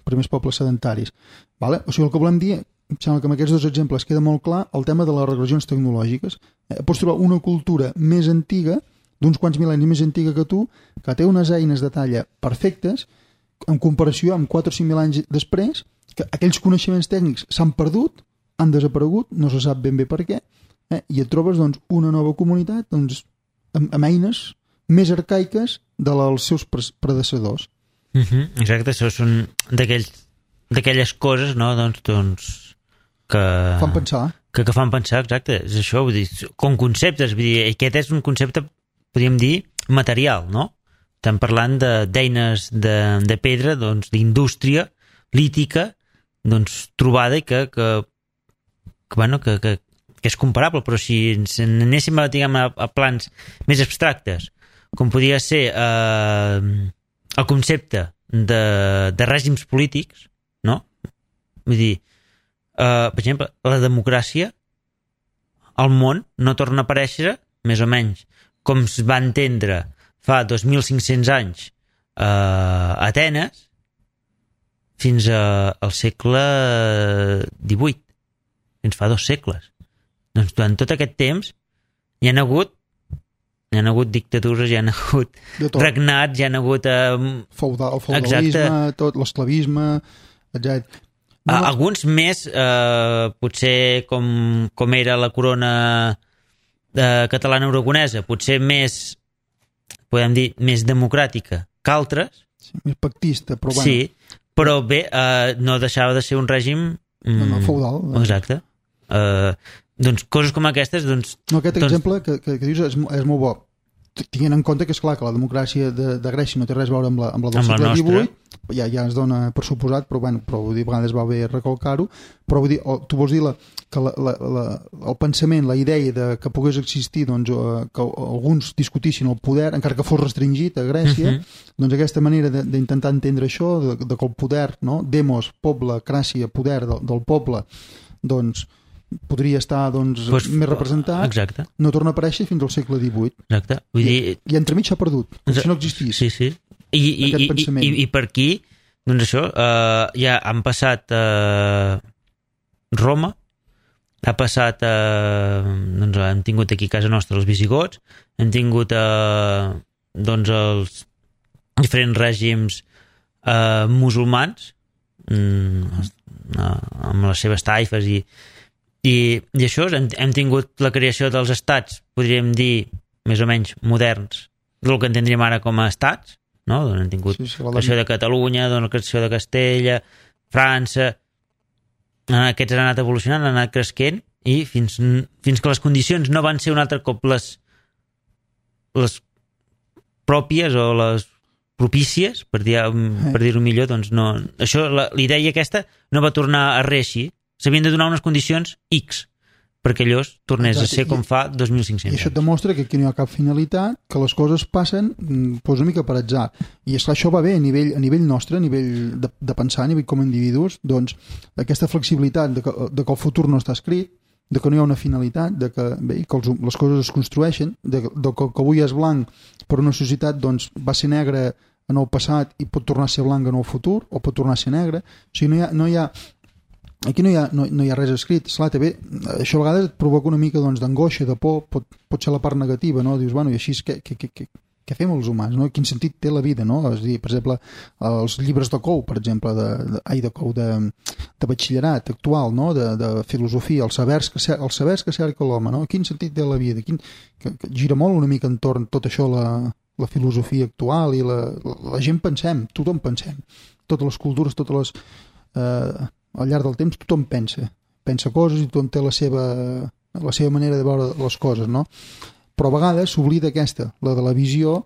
primers pobles sedentaris. Vale? O sigui, el que volem dir, em sembla que amb aquests dos exemples queda molt clar el tema de les regressions tecnològiques. Pots trobar una cultura més antiga, d'uns quants mil·lennis més antiga que tu, que té unes eines de talla perfectes, en comparació amb 4 o 5.000 anys després, que aquells coneixements tècnics s'han perdut, han desaparegut, no se sap ben bé per què, i et trobes doncs, una nova comunitat doncs, amb eines més arcaiques dels seus predecessors. Exacte, això són d'aquelles coses, no? doncs que fan pensar. Que fan pensar, exacte, és això, vull dir, com conceptes, vull dir, aquest és un concepte, podríem dir, material, no? Estem parlant d'eines de pedra, doncs, d'indústria lítica, doncs, trobada i que és comparable, però si ens anéssim a plans més abstractes, com podria ser el concepte de règims polítics, no? Vull dir, per exemple, la democràcia al món no torna a aparèixer, més o menys, com es va entendre fa 2.500 anys a Atenes, fins al segle XVIII, fins fa 2 segles. Doncs durant tot aquest temps hi ha hagut dictadures, hi ha hagut regnats, hi ha hagut el feudalisme, tot l'esclavisme, etc. Alguns més, potser com era la corona catalana aragonesa, potser més, podem dir, més democràtica que altres. Sí, més pactista, però bueno. Sí, però bé, no deixava de ser un règim feudal. Exacte. Doncs coses com aquestes... No, aquest exemple que dius és molt bo. Tinguent en compte que és clar que la democràcia de Grècia no té res a veure amb la del segle XVIII, ja es dona per suposat, però vull dir, a vegades va bé recalcar-ho, però vull dir, tu vols dir que el pensament, la idea que pogués existir, doncs, que alguns discutissin el poder, encara que fos restringit a Grècia, doncs aquesta manera d'intentar entendre això, de que el poder, no? Demos, poble, cràcia, poder del poble, doncs podria estar doncs, més representat, exacte. no torna a aparèixer fins al segle XVIII. Exacte. Vull dir... I entremig s'ha perdut, com si no existís. Sí. I per aquí, doncs això, ja han passat Roma, ha passat doncs hem tingut aquí a casa nostra els visigots, hem tingut doncs els diferents règims musulmans amb les seves taifes i això, hem tingut la creació dels estats, podríem dir més o menys moderns, del que entendríem ara com a estats, no? Doncs hem tingut la creació de Catalunya, doncs la creació de Castella, França, aquests han anat evolucionant, han anat cresquent i fins que les condicions no van ser un altre cop les pròpies o les propícies, per dir-ho millor, doncs no, això, l'idea aquesta no va tornar a reeixir, s'havien de donar unes condicions X perquè allò tornés a ser com fa 2.500 anys. I això et demostra que aquí no hi ha cap finalitat, que les coses passen doncs una mica per atzar. I esclar, això va bé a nivell nostre, a nivell de pensar, a nivell com a individus, doncs aquesta flexibilitat de que el futur no està escrit, de que no hi ha una finalitat, de que, bé, que les coses es construeixen, de que avui és blanc per una societat doncs, va ser negre en el passat i pot tornar a ser blanc en el futur, o pot tornar a ser negre. O sigui, aquí no hi ha res escrit. Esclar, també, això a vegades et provoca una mica doncs, d'angoixa, de por, pot ser la part negativa, no? Dius, bueno, i així què fem els humans, no? Quin sentit té la vida, no? És a dir, per exemple, els llibres de Cou, per exemple, de batxillerat actual, no? De filosofia, els sabers que cerca l'home, no? Quin sentit té la vida? Que gira molt una mica entorn tot això, la filosofia actual i la gent pensem, tothom pensem, totes les cultures, al llarg del temps tothom pensa coses i tothom té la seva manera de veure les coses, no? Però a vegades s'oblida aquesta, la de la visió,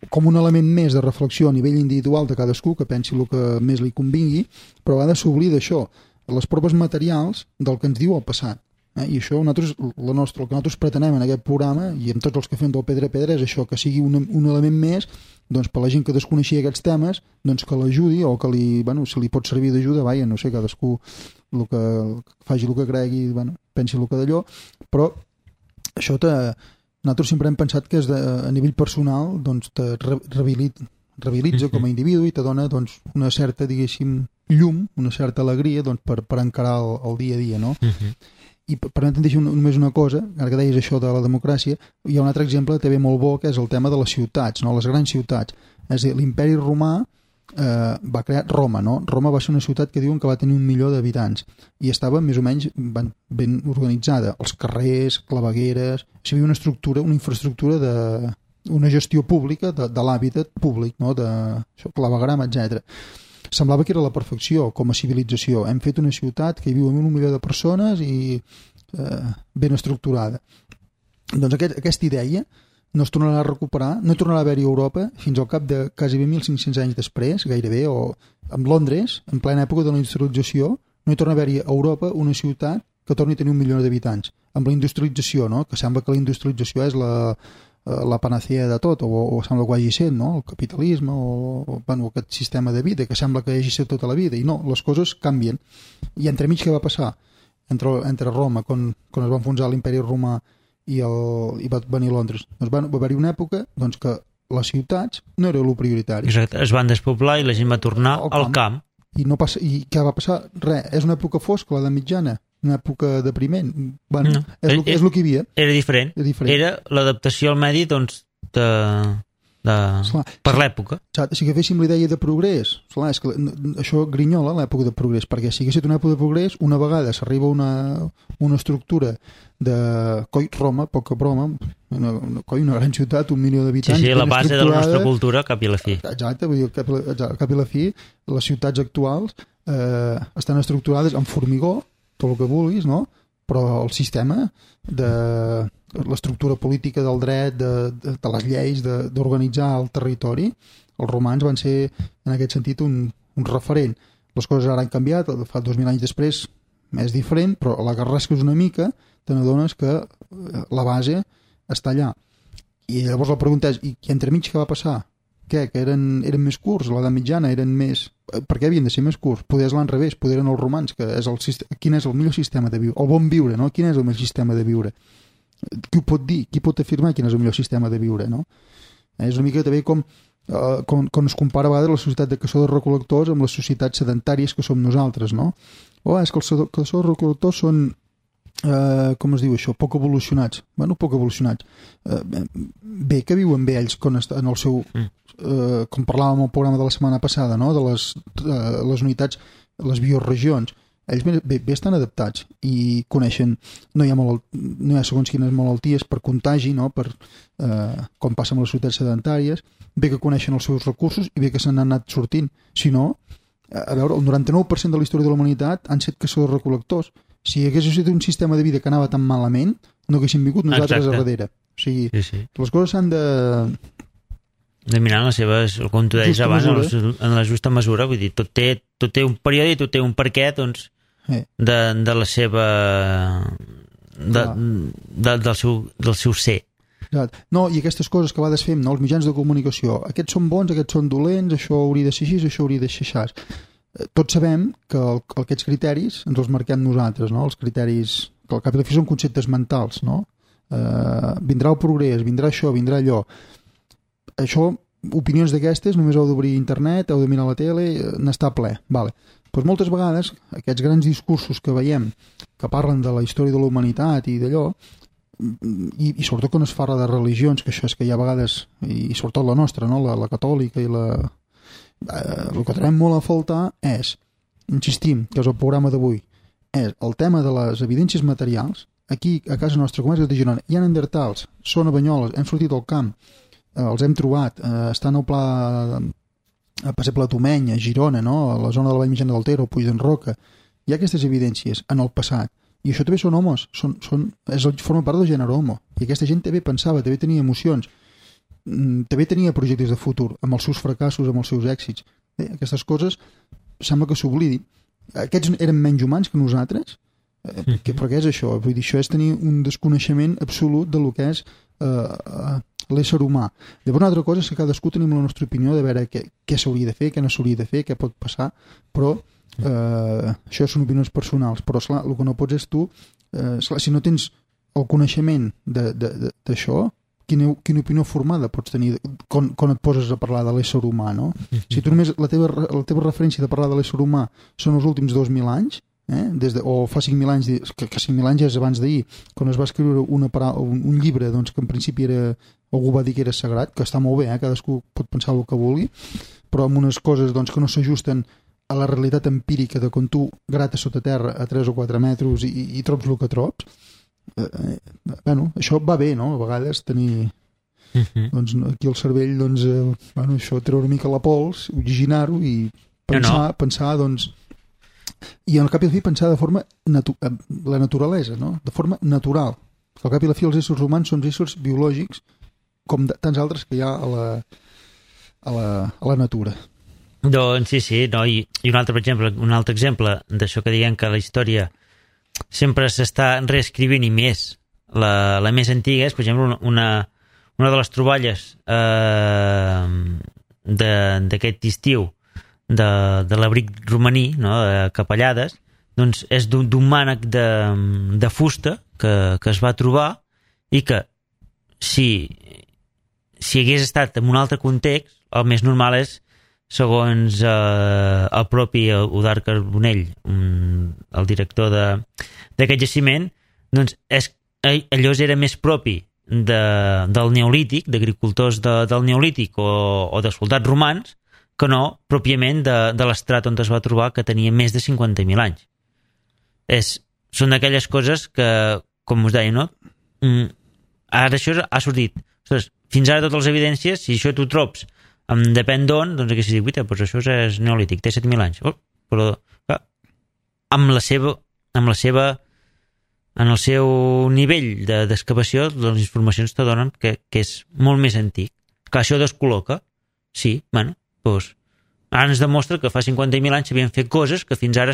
com un element més de reflexió a nivell individual de cadascú, que pensi el que més li convingui, però a vegades s'oblida això, les proves materials del que ens diu el passat. I això el que nosaltres pretenem en aquest programa, i amb tots els que fem del Pedra a Pedra, és això, que sigui un element més doncs, per la gent que desconeixia aquests temes, doncs que l'ajudi o que si li pot servir d'ajuda, no sé, cadascú faci el que cregui, pensi el que d'allò, però això nosaltres sempre hem pensat que a nivell personal doncs, te rehabilitza com a individu i te dona doncs, una certa, diguéssim, llum, una certa alegria doncs, per encarar el dia a dia, no? I permetem dir només una cosa, ara que deies això de la democràcia, hi ha un altre exemple també molt bo, que és el tema de les ciutats, no? Les grans ciutats. És a dir, l'imperi romà va crear Roma, no? Roma va ser una ciutat que diuen que va tenir 1 milió d'habitants i estava més o menys ben organitzada. Els carrers, clavegueres, hi havia una infraestructura una gestió pública de l'hàbitat públic, no? De clavegram, etc. Semblava que era la perfecció com a civilització. Hem fet una ciutat que hi viu 1 milió de persones i ben estructurada. Doncs aquesta idea no es tornarà a recuperar, no tornarà a haver-hi a Europa fins al cap de quasi 1.500 anys després, gairebé, o amb Londres, en plena època de la industrialització, no hi torna a haver-hi a Europa una ciutat que torni a tenir 1 milió d'habitants. Amb la industrialització, no? Que sembla que la industrialització és la panacea de tot, o sembla que ho hagi sent, no? El capitalisme o aquest sistema de vida que sembla que hagi set tota la vida, i no, les coses canvien. I entremig què va passar? Entre Roma, quan es va enfonsar l'imperi romà i va venir Londres, doncs va haver-hi una època doncs, que les ciutats no era el prioritari. Exacte, es van despoblar i la gent va tornar al camp. I què va passar? Res, és una època fosca, l'edat mitjana, una època depriment. Bueno, és el que hi havia. Era diferent. Era l'adaptació al medi doncs, per l'època. Si agaféssim la idea de progrés, és que això grinyola l'època de progrés, perquè si hagués estat una època de progrés, una vegada s'arriba a una estructura de Roma, poca broma, una gran ciutat, 1 milió d'habitants. Sí, la base de la nostra cultura, cap i la fi. Exacte, vull dir, cap i la fi, les ciutats actuals estan estructurades en formigó, tot el que vulguis, no? Però el sistema de l'estructura política del dret, de les lleis, d'organitzar el territori, els romans van ser, en aquest sentit, un referent. Les coses ara han canviat, fa 2.000 anys després és diferent, però a la que rasques una mica te n'adones que la base està allà. I llavors la pregunta és, i entremig què va passar? Que eren més curts, a l'edat mitjana eren més per què havien de ser més curts? Poder és l'enrevés, poder eren els romans, que és quin és el millor sistema de viure, el bon viure, no? Quin és el millor sistema de viure? Qui ho pot dir? Qui pot afirmar quin és el millor sistema de viure, no? És una mica també com es compara a vegades la societat de caçadors-recol·lectors amb les societats sedentàries que som nosaltres, no? És que els caçadors-recol·lectors són, com es diu això, poc evolucionats. Bueno, poc evolucionats. Bé que viuen bé ells en el seu... com parlàvem al programa de la setmana passada, no? De les unitats, les bioregions. Ells bé estan adaptats i coneixen, no hi ha segons quines malalties per contagi, no? Com passa amb les societats sedentàries, bé que coneixen els seus recursos i bé que se n'han anat sortint. Si no, a veure, el 99% de la història de la humanitat han set caçadors-recol·lectors. Si hagués estat un sistema de vida que anava tan malament, no haguéssim vingut nosaltres a darrere. O sigui, les coses s'han de mirar en les seves, com tu deies abans, en la justa mesura, vull dir, tot té un període i tot té un perquè, doncs, de la seva del seu ser. No, i aquestes coses que a vegades fem, no? Els mitjans de comunicació, aquests són bons, aquests són dolents, això hauria de ser així, això hauria de ser així. Tots sabem que aquests criteris ens els marquem nosaltres, no? Els criteris, que al cap i a la fi són conceptes mentals, no? Vindrà el progrés, vindrà això, vindrà allò. Això, opinions d'aquestes, només heu d'obrir internet, heu de mirar la tele, n'està ple. Vale. Doncs moltes vegades, aquests grans discursos que veiem, que parlen de la història de la humanitat i d'allò, i sobretot quan es parla de religions, que això és que hi ha vegades, i sobretot la nostra, no? La catòlica i el que trobem molt a faltar és, insistim, que és el programa d'avui, és el tema de les evidències materials. Aquí, a casa nostra, com és de Girona, hi ha neandertals, són a Banyoles, hem sortit al camp, els hem trobat, estan al pla a Passeble Tomeny, a Girona, no? A la zona de la Vall Mitjana del Ter, al Puig d'en Roca. Hi ha aquestes evidències en el passat, i això també són homes, forma part del gènere homo, i aquesta gent també pensava, també tenia emocions, també tenia projectes de futur, amb els seus fracassos, amb els seus èxits. Aquestes coses sembla que s'oblidin. Aquests eren menys humans que nosaltres, perquè és això, vull dir, això és tenir un desconeixement absolut de lo que és l'ésser humà. Llavors una altra cosa és que cadascú tenim la nostra opinió de veure què s'hauria de fer, què no s'hauria de fer, què pot passar, però això són opinions personals, però esclar, el que no pots és tu, esclar, si no tens el coneixement d'això, quina opinió formada pots tenir quan et poses a parlar de l'ésser humà, no? Si tu només la teva referència de parlar de l'ésser humà són els últims 2.000 anys, o fa 5.000 anys, que 5.000 anys és abans d'ahir, quan es va escriure un llibre, doncs, que en principi algú va dir que era sagrat, que està molt bé, cadascú pot pensar el que vulgui, però amb unes coses doncs, que no s'ajusten a la realitat empírica de quan tu grates sota terra a 3 o 4 metres i trobs el que trobs. Bueno, això va bé, no? A vegades tenir doncs, aquí el cervell, doncs, això, treure una mica la pols, oxigenar-ho i pensar, doncs, i al cap i a la fi pensar de forma la naturalesa, no? De forma natural. Al cap i a la fi els éssers humans són éssers biològics com tants altres que hi ha a la natura. Doncs sí, no? I un altre exemple d'això que diguem que la història sempre s'està reescrivint i més la més antiga és, per exemple, una de les troballes d'aquest estiu de l'abric romaní, no? De Capellades, doncs és d'un mànec de fusta que es va trobar i que si hagués estat en un altre context, el més normal és, segons el propi Eudard Carbonell, el director d'aquest jaciment, doncs allò era més propi del neolític, d'agricultors del neolític o de soldats romans, que no pròpiament de l'estrat on es va trobar, que tenia més de 50.000 anys. Són d'aquelles coses que, com us deia, no? Ara això ha sortit. Ostres, fins ara totes les evidències, si això tu trobs depèn d'on, doncs aquí s'hi diu, doncs això és neolític, té 7.000 anys. Però clar, en el seu nivell d'excavació, les informacions te donen que és molt més antic. Clar, això descol·loca. Sí, bueno, doncs ara ens demostra que fa 50.000 anys s'havien fet coses que fins ara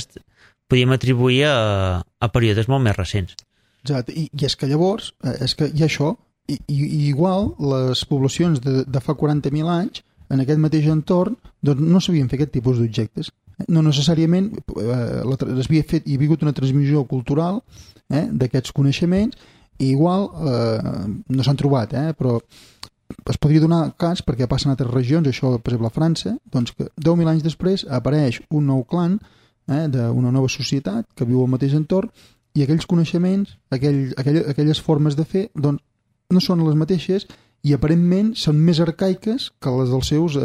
podíem atribuir a períodes molt més recents. Exacte, i és que llavors és que hi ha això, i igual les poblacions de fa 40.000 anys en aquest mateix entorn doncs no s'havien fet aquest tipus d'objectes. No necessàriament hi ha hagut una transmissió cultural d'aquests coneixements i igual no s'han trobat, però es podria donar cas perquè passa en altres regions, això per exemple a França, doncs que 10.000 anys després apareix un nou clan d'una nova societat que viu al mateix entorn i aquells coneixements, aquelles formes de fer, doncs no són les mateixes i aparentment són més arcaiques que les dels seus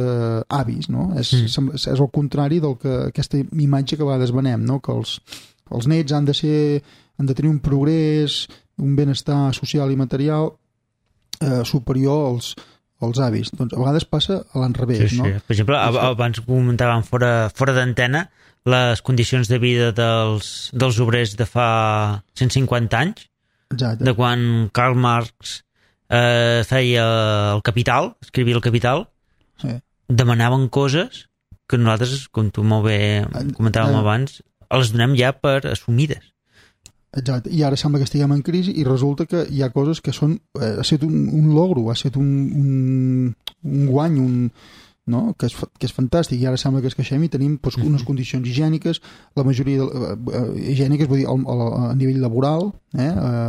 avis, no? És el contrari del que aquesta imatge que a vegades venem, no? Que els nets han de tenir un progrés, un benestar social i material superior als avis. Doncs a vegades passa a l'enrevés, sí. no? Per exemple, abans comentàvem fora d'antena les condicions de vida dels obrers de fa 150 anys. Exacte. De quan Karl Marx feia el Capital, escrivia el Capital, sí. Demanaven coses que nosaltres, com tu molt bé comentàvem abans, les donem ja per assumides. Exacte, i ara sembla que estiguem en crisi i resulta que hi ha coses que són ha estat un logro, ha estat un guany, no? que és fantàstic, i ara sembla que es queixem i tenim doncs, unes condicions higièniques, la majoria higièniques, vull dir, a nivell laboral,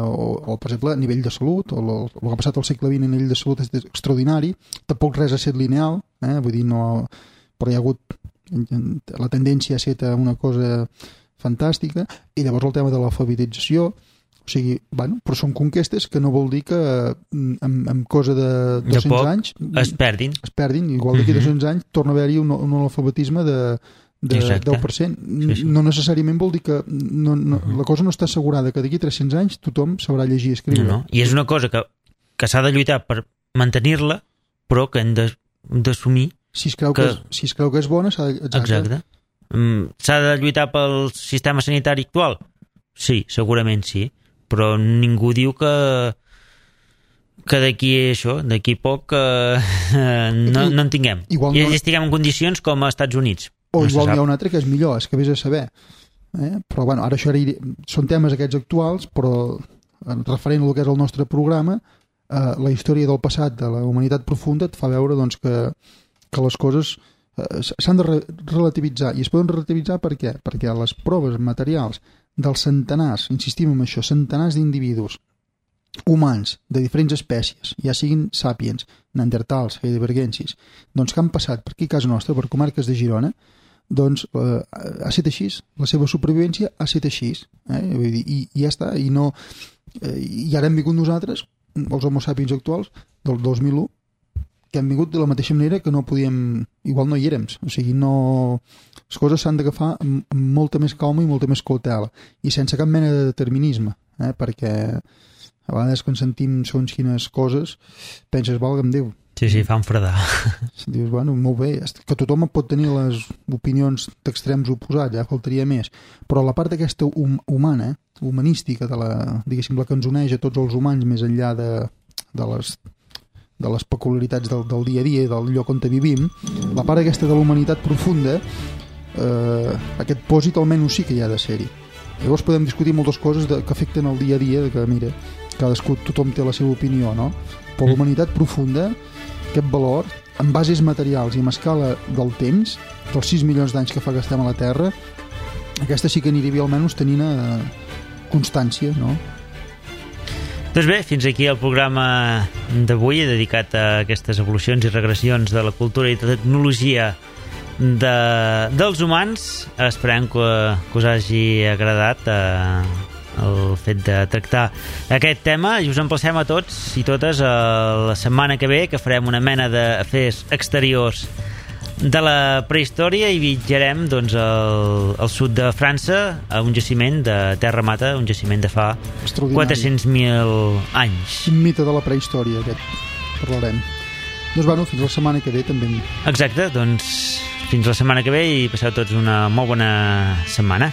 o per exemple a nivell de salut, el que ha passat al segle XX a nivell de salut és extraordinari, tampoc res ha estat lineal, vull dir, no, però hi ha hagut la tendència a ser una cosa fantàstica, i llavors el tema de l'alfabetització, o sigui, bueno, però són conquestes que no vol dir que en cosa de 200 anys es perdin, igual d'aquí 200 anys torna a haver-hi un alfabetisme de 10%. Sí. No necessàriament vol dir que la cosa no està assegurada que d'aquí 300 anys tothom sabrà llegir i escriure. No. I és una cosa que s'ha de lluitar per mantenir-la, però que hem d'assumir si es creu que és bona s'ha de... Exacte. S'ha de lluitar pel sistema sanitari actual? Sí, segurament sí, però ningú diu que d'aquí poc no en tinguem i estiguem en condicions com als Estats Units. O igual n'hi ha un altre que és millor, és que vés a saber. Però bueno, ara això són temes aquests actuals, però referent al que és el nostre programa, la història del passat de la humanitat profunda et fa veure doncs, que les coses s'han de relativitzar, i es poden relativitzar per què? Perquè les proves materials dels centenars, insistim en això, centenars d'individus humans de diferents espècies, ja siguin sàpiens, neandertals, heidelbergensis, doncs que han passat per aquí a casa nostra, per comarques de Girona, doncs ha estat així, la seva supervivència ha estat així, vull dir, i ja està, i ara hem vingut nosaltres, els homo sapiens actuals, del 2001, que hem vingut de la mateixa manera que no podíem, igual no hi érem, o sigui, les coses s'han d'agafar amb molta més calma i molta més cautela, i sense cap mena de determinisme, perquè a vegades quan sentim segons quines coses penses, valga'm Déu. Sí, fan fredar. Dius, bueno, molt bé, que tothom pot tenir les opinions d'extrems oposats, faltaria més, però la part aquesta humana, humanística, diguéssim, la que ens uneix a tots els humans més enllà de les peculiaritats del dia a dia i del lloc on vivim, la part aquesta de la humanitat profunda, aquest pòsit almenys sí que hi ha de ser-hi. Llavors podem discutir moltes coses que afecten el dia a dia, que mira, tothom té la seva opinió, no? Però la humanitat profunda, aquest valor, en bases materials i en escala del temps, dels 6 milions d'anys que fa que estem a la Terra, aquesta sí que aniria almenys tenint constància, no? Doncs bé, fins aquí el programa d'avui dedicat a aquestes evolucions i regressions de la cultura i de tecnologia dels humans. Esperem que us hagi agradat el fet de tractar aquest tema i us emplacem a tots i totes a la setmana que ve, que farem una mena d'afers exteriors de la prehistòria i viatjarem doncs, al sud de França a un jaciment de Terra Mata, un jaciment de fa 400.000 anys. Un mite de la prehistòria aquest, parlarem. Doncs bueno, fins la setmana que ve també. Exacte, doncs fins la setmana que ve i passeu tots una molt bona setmana.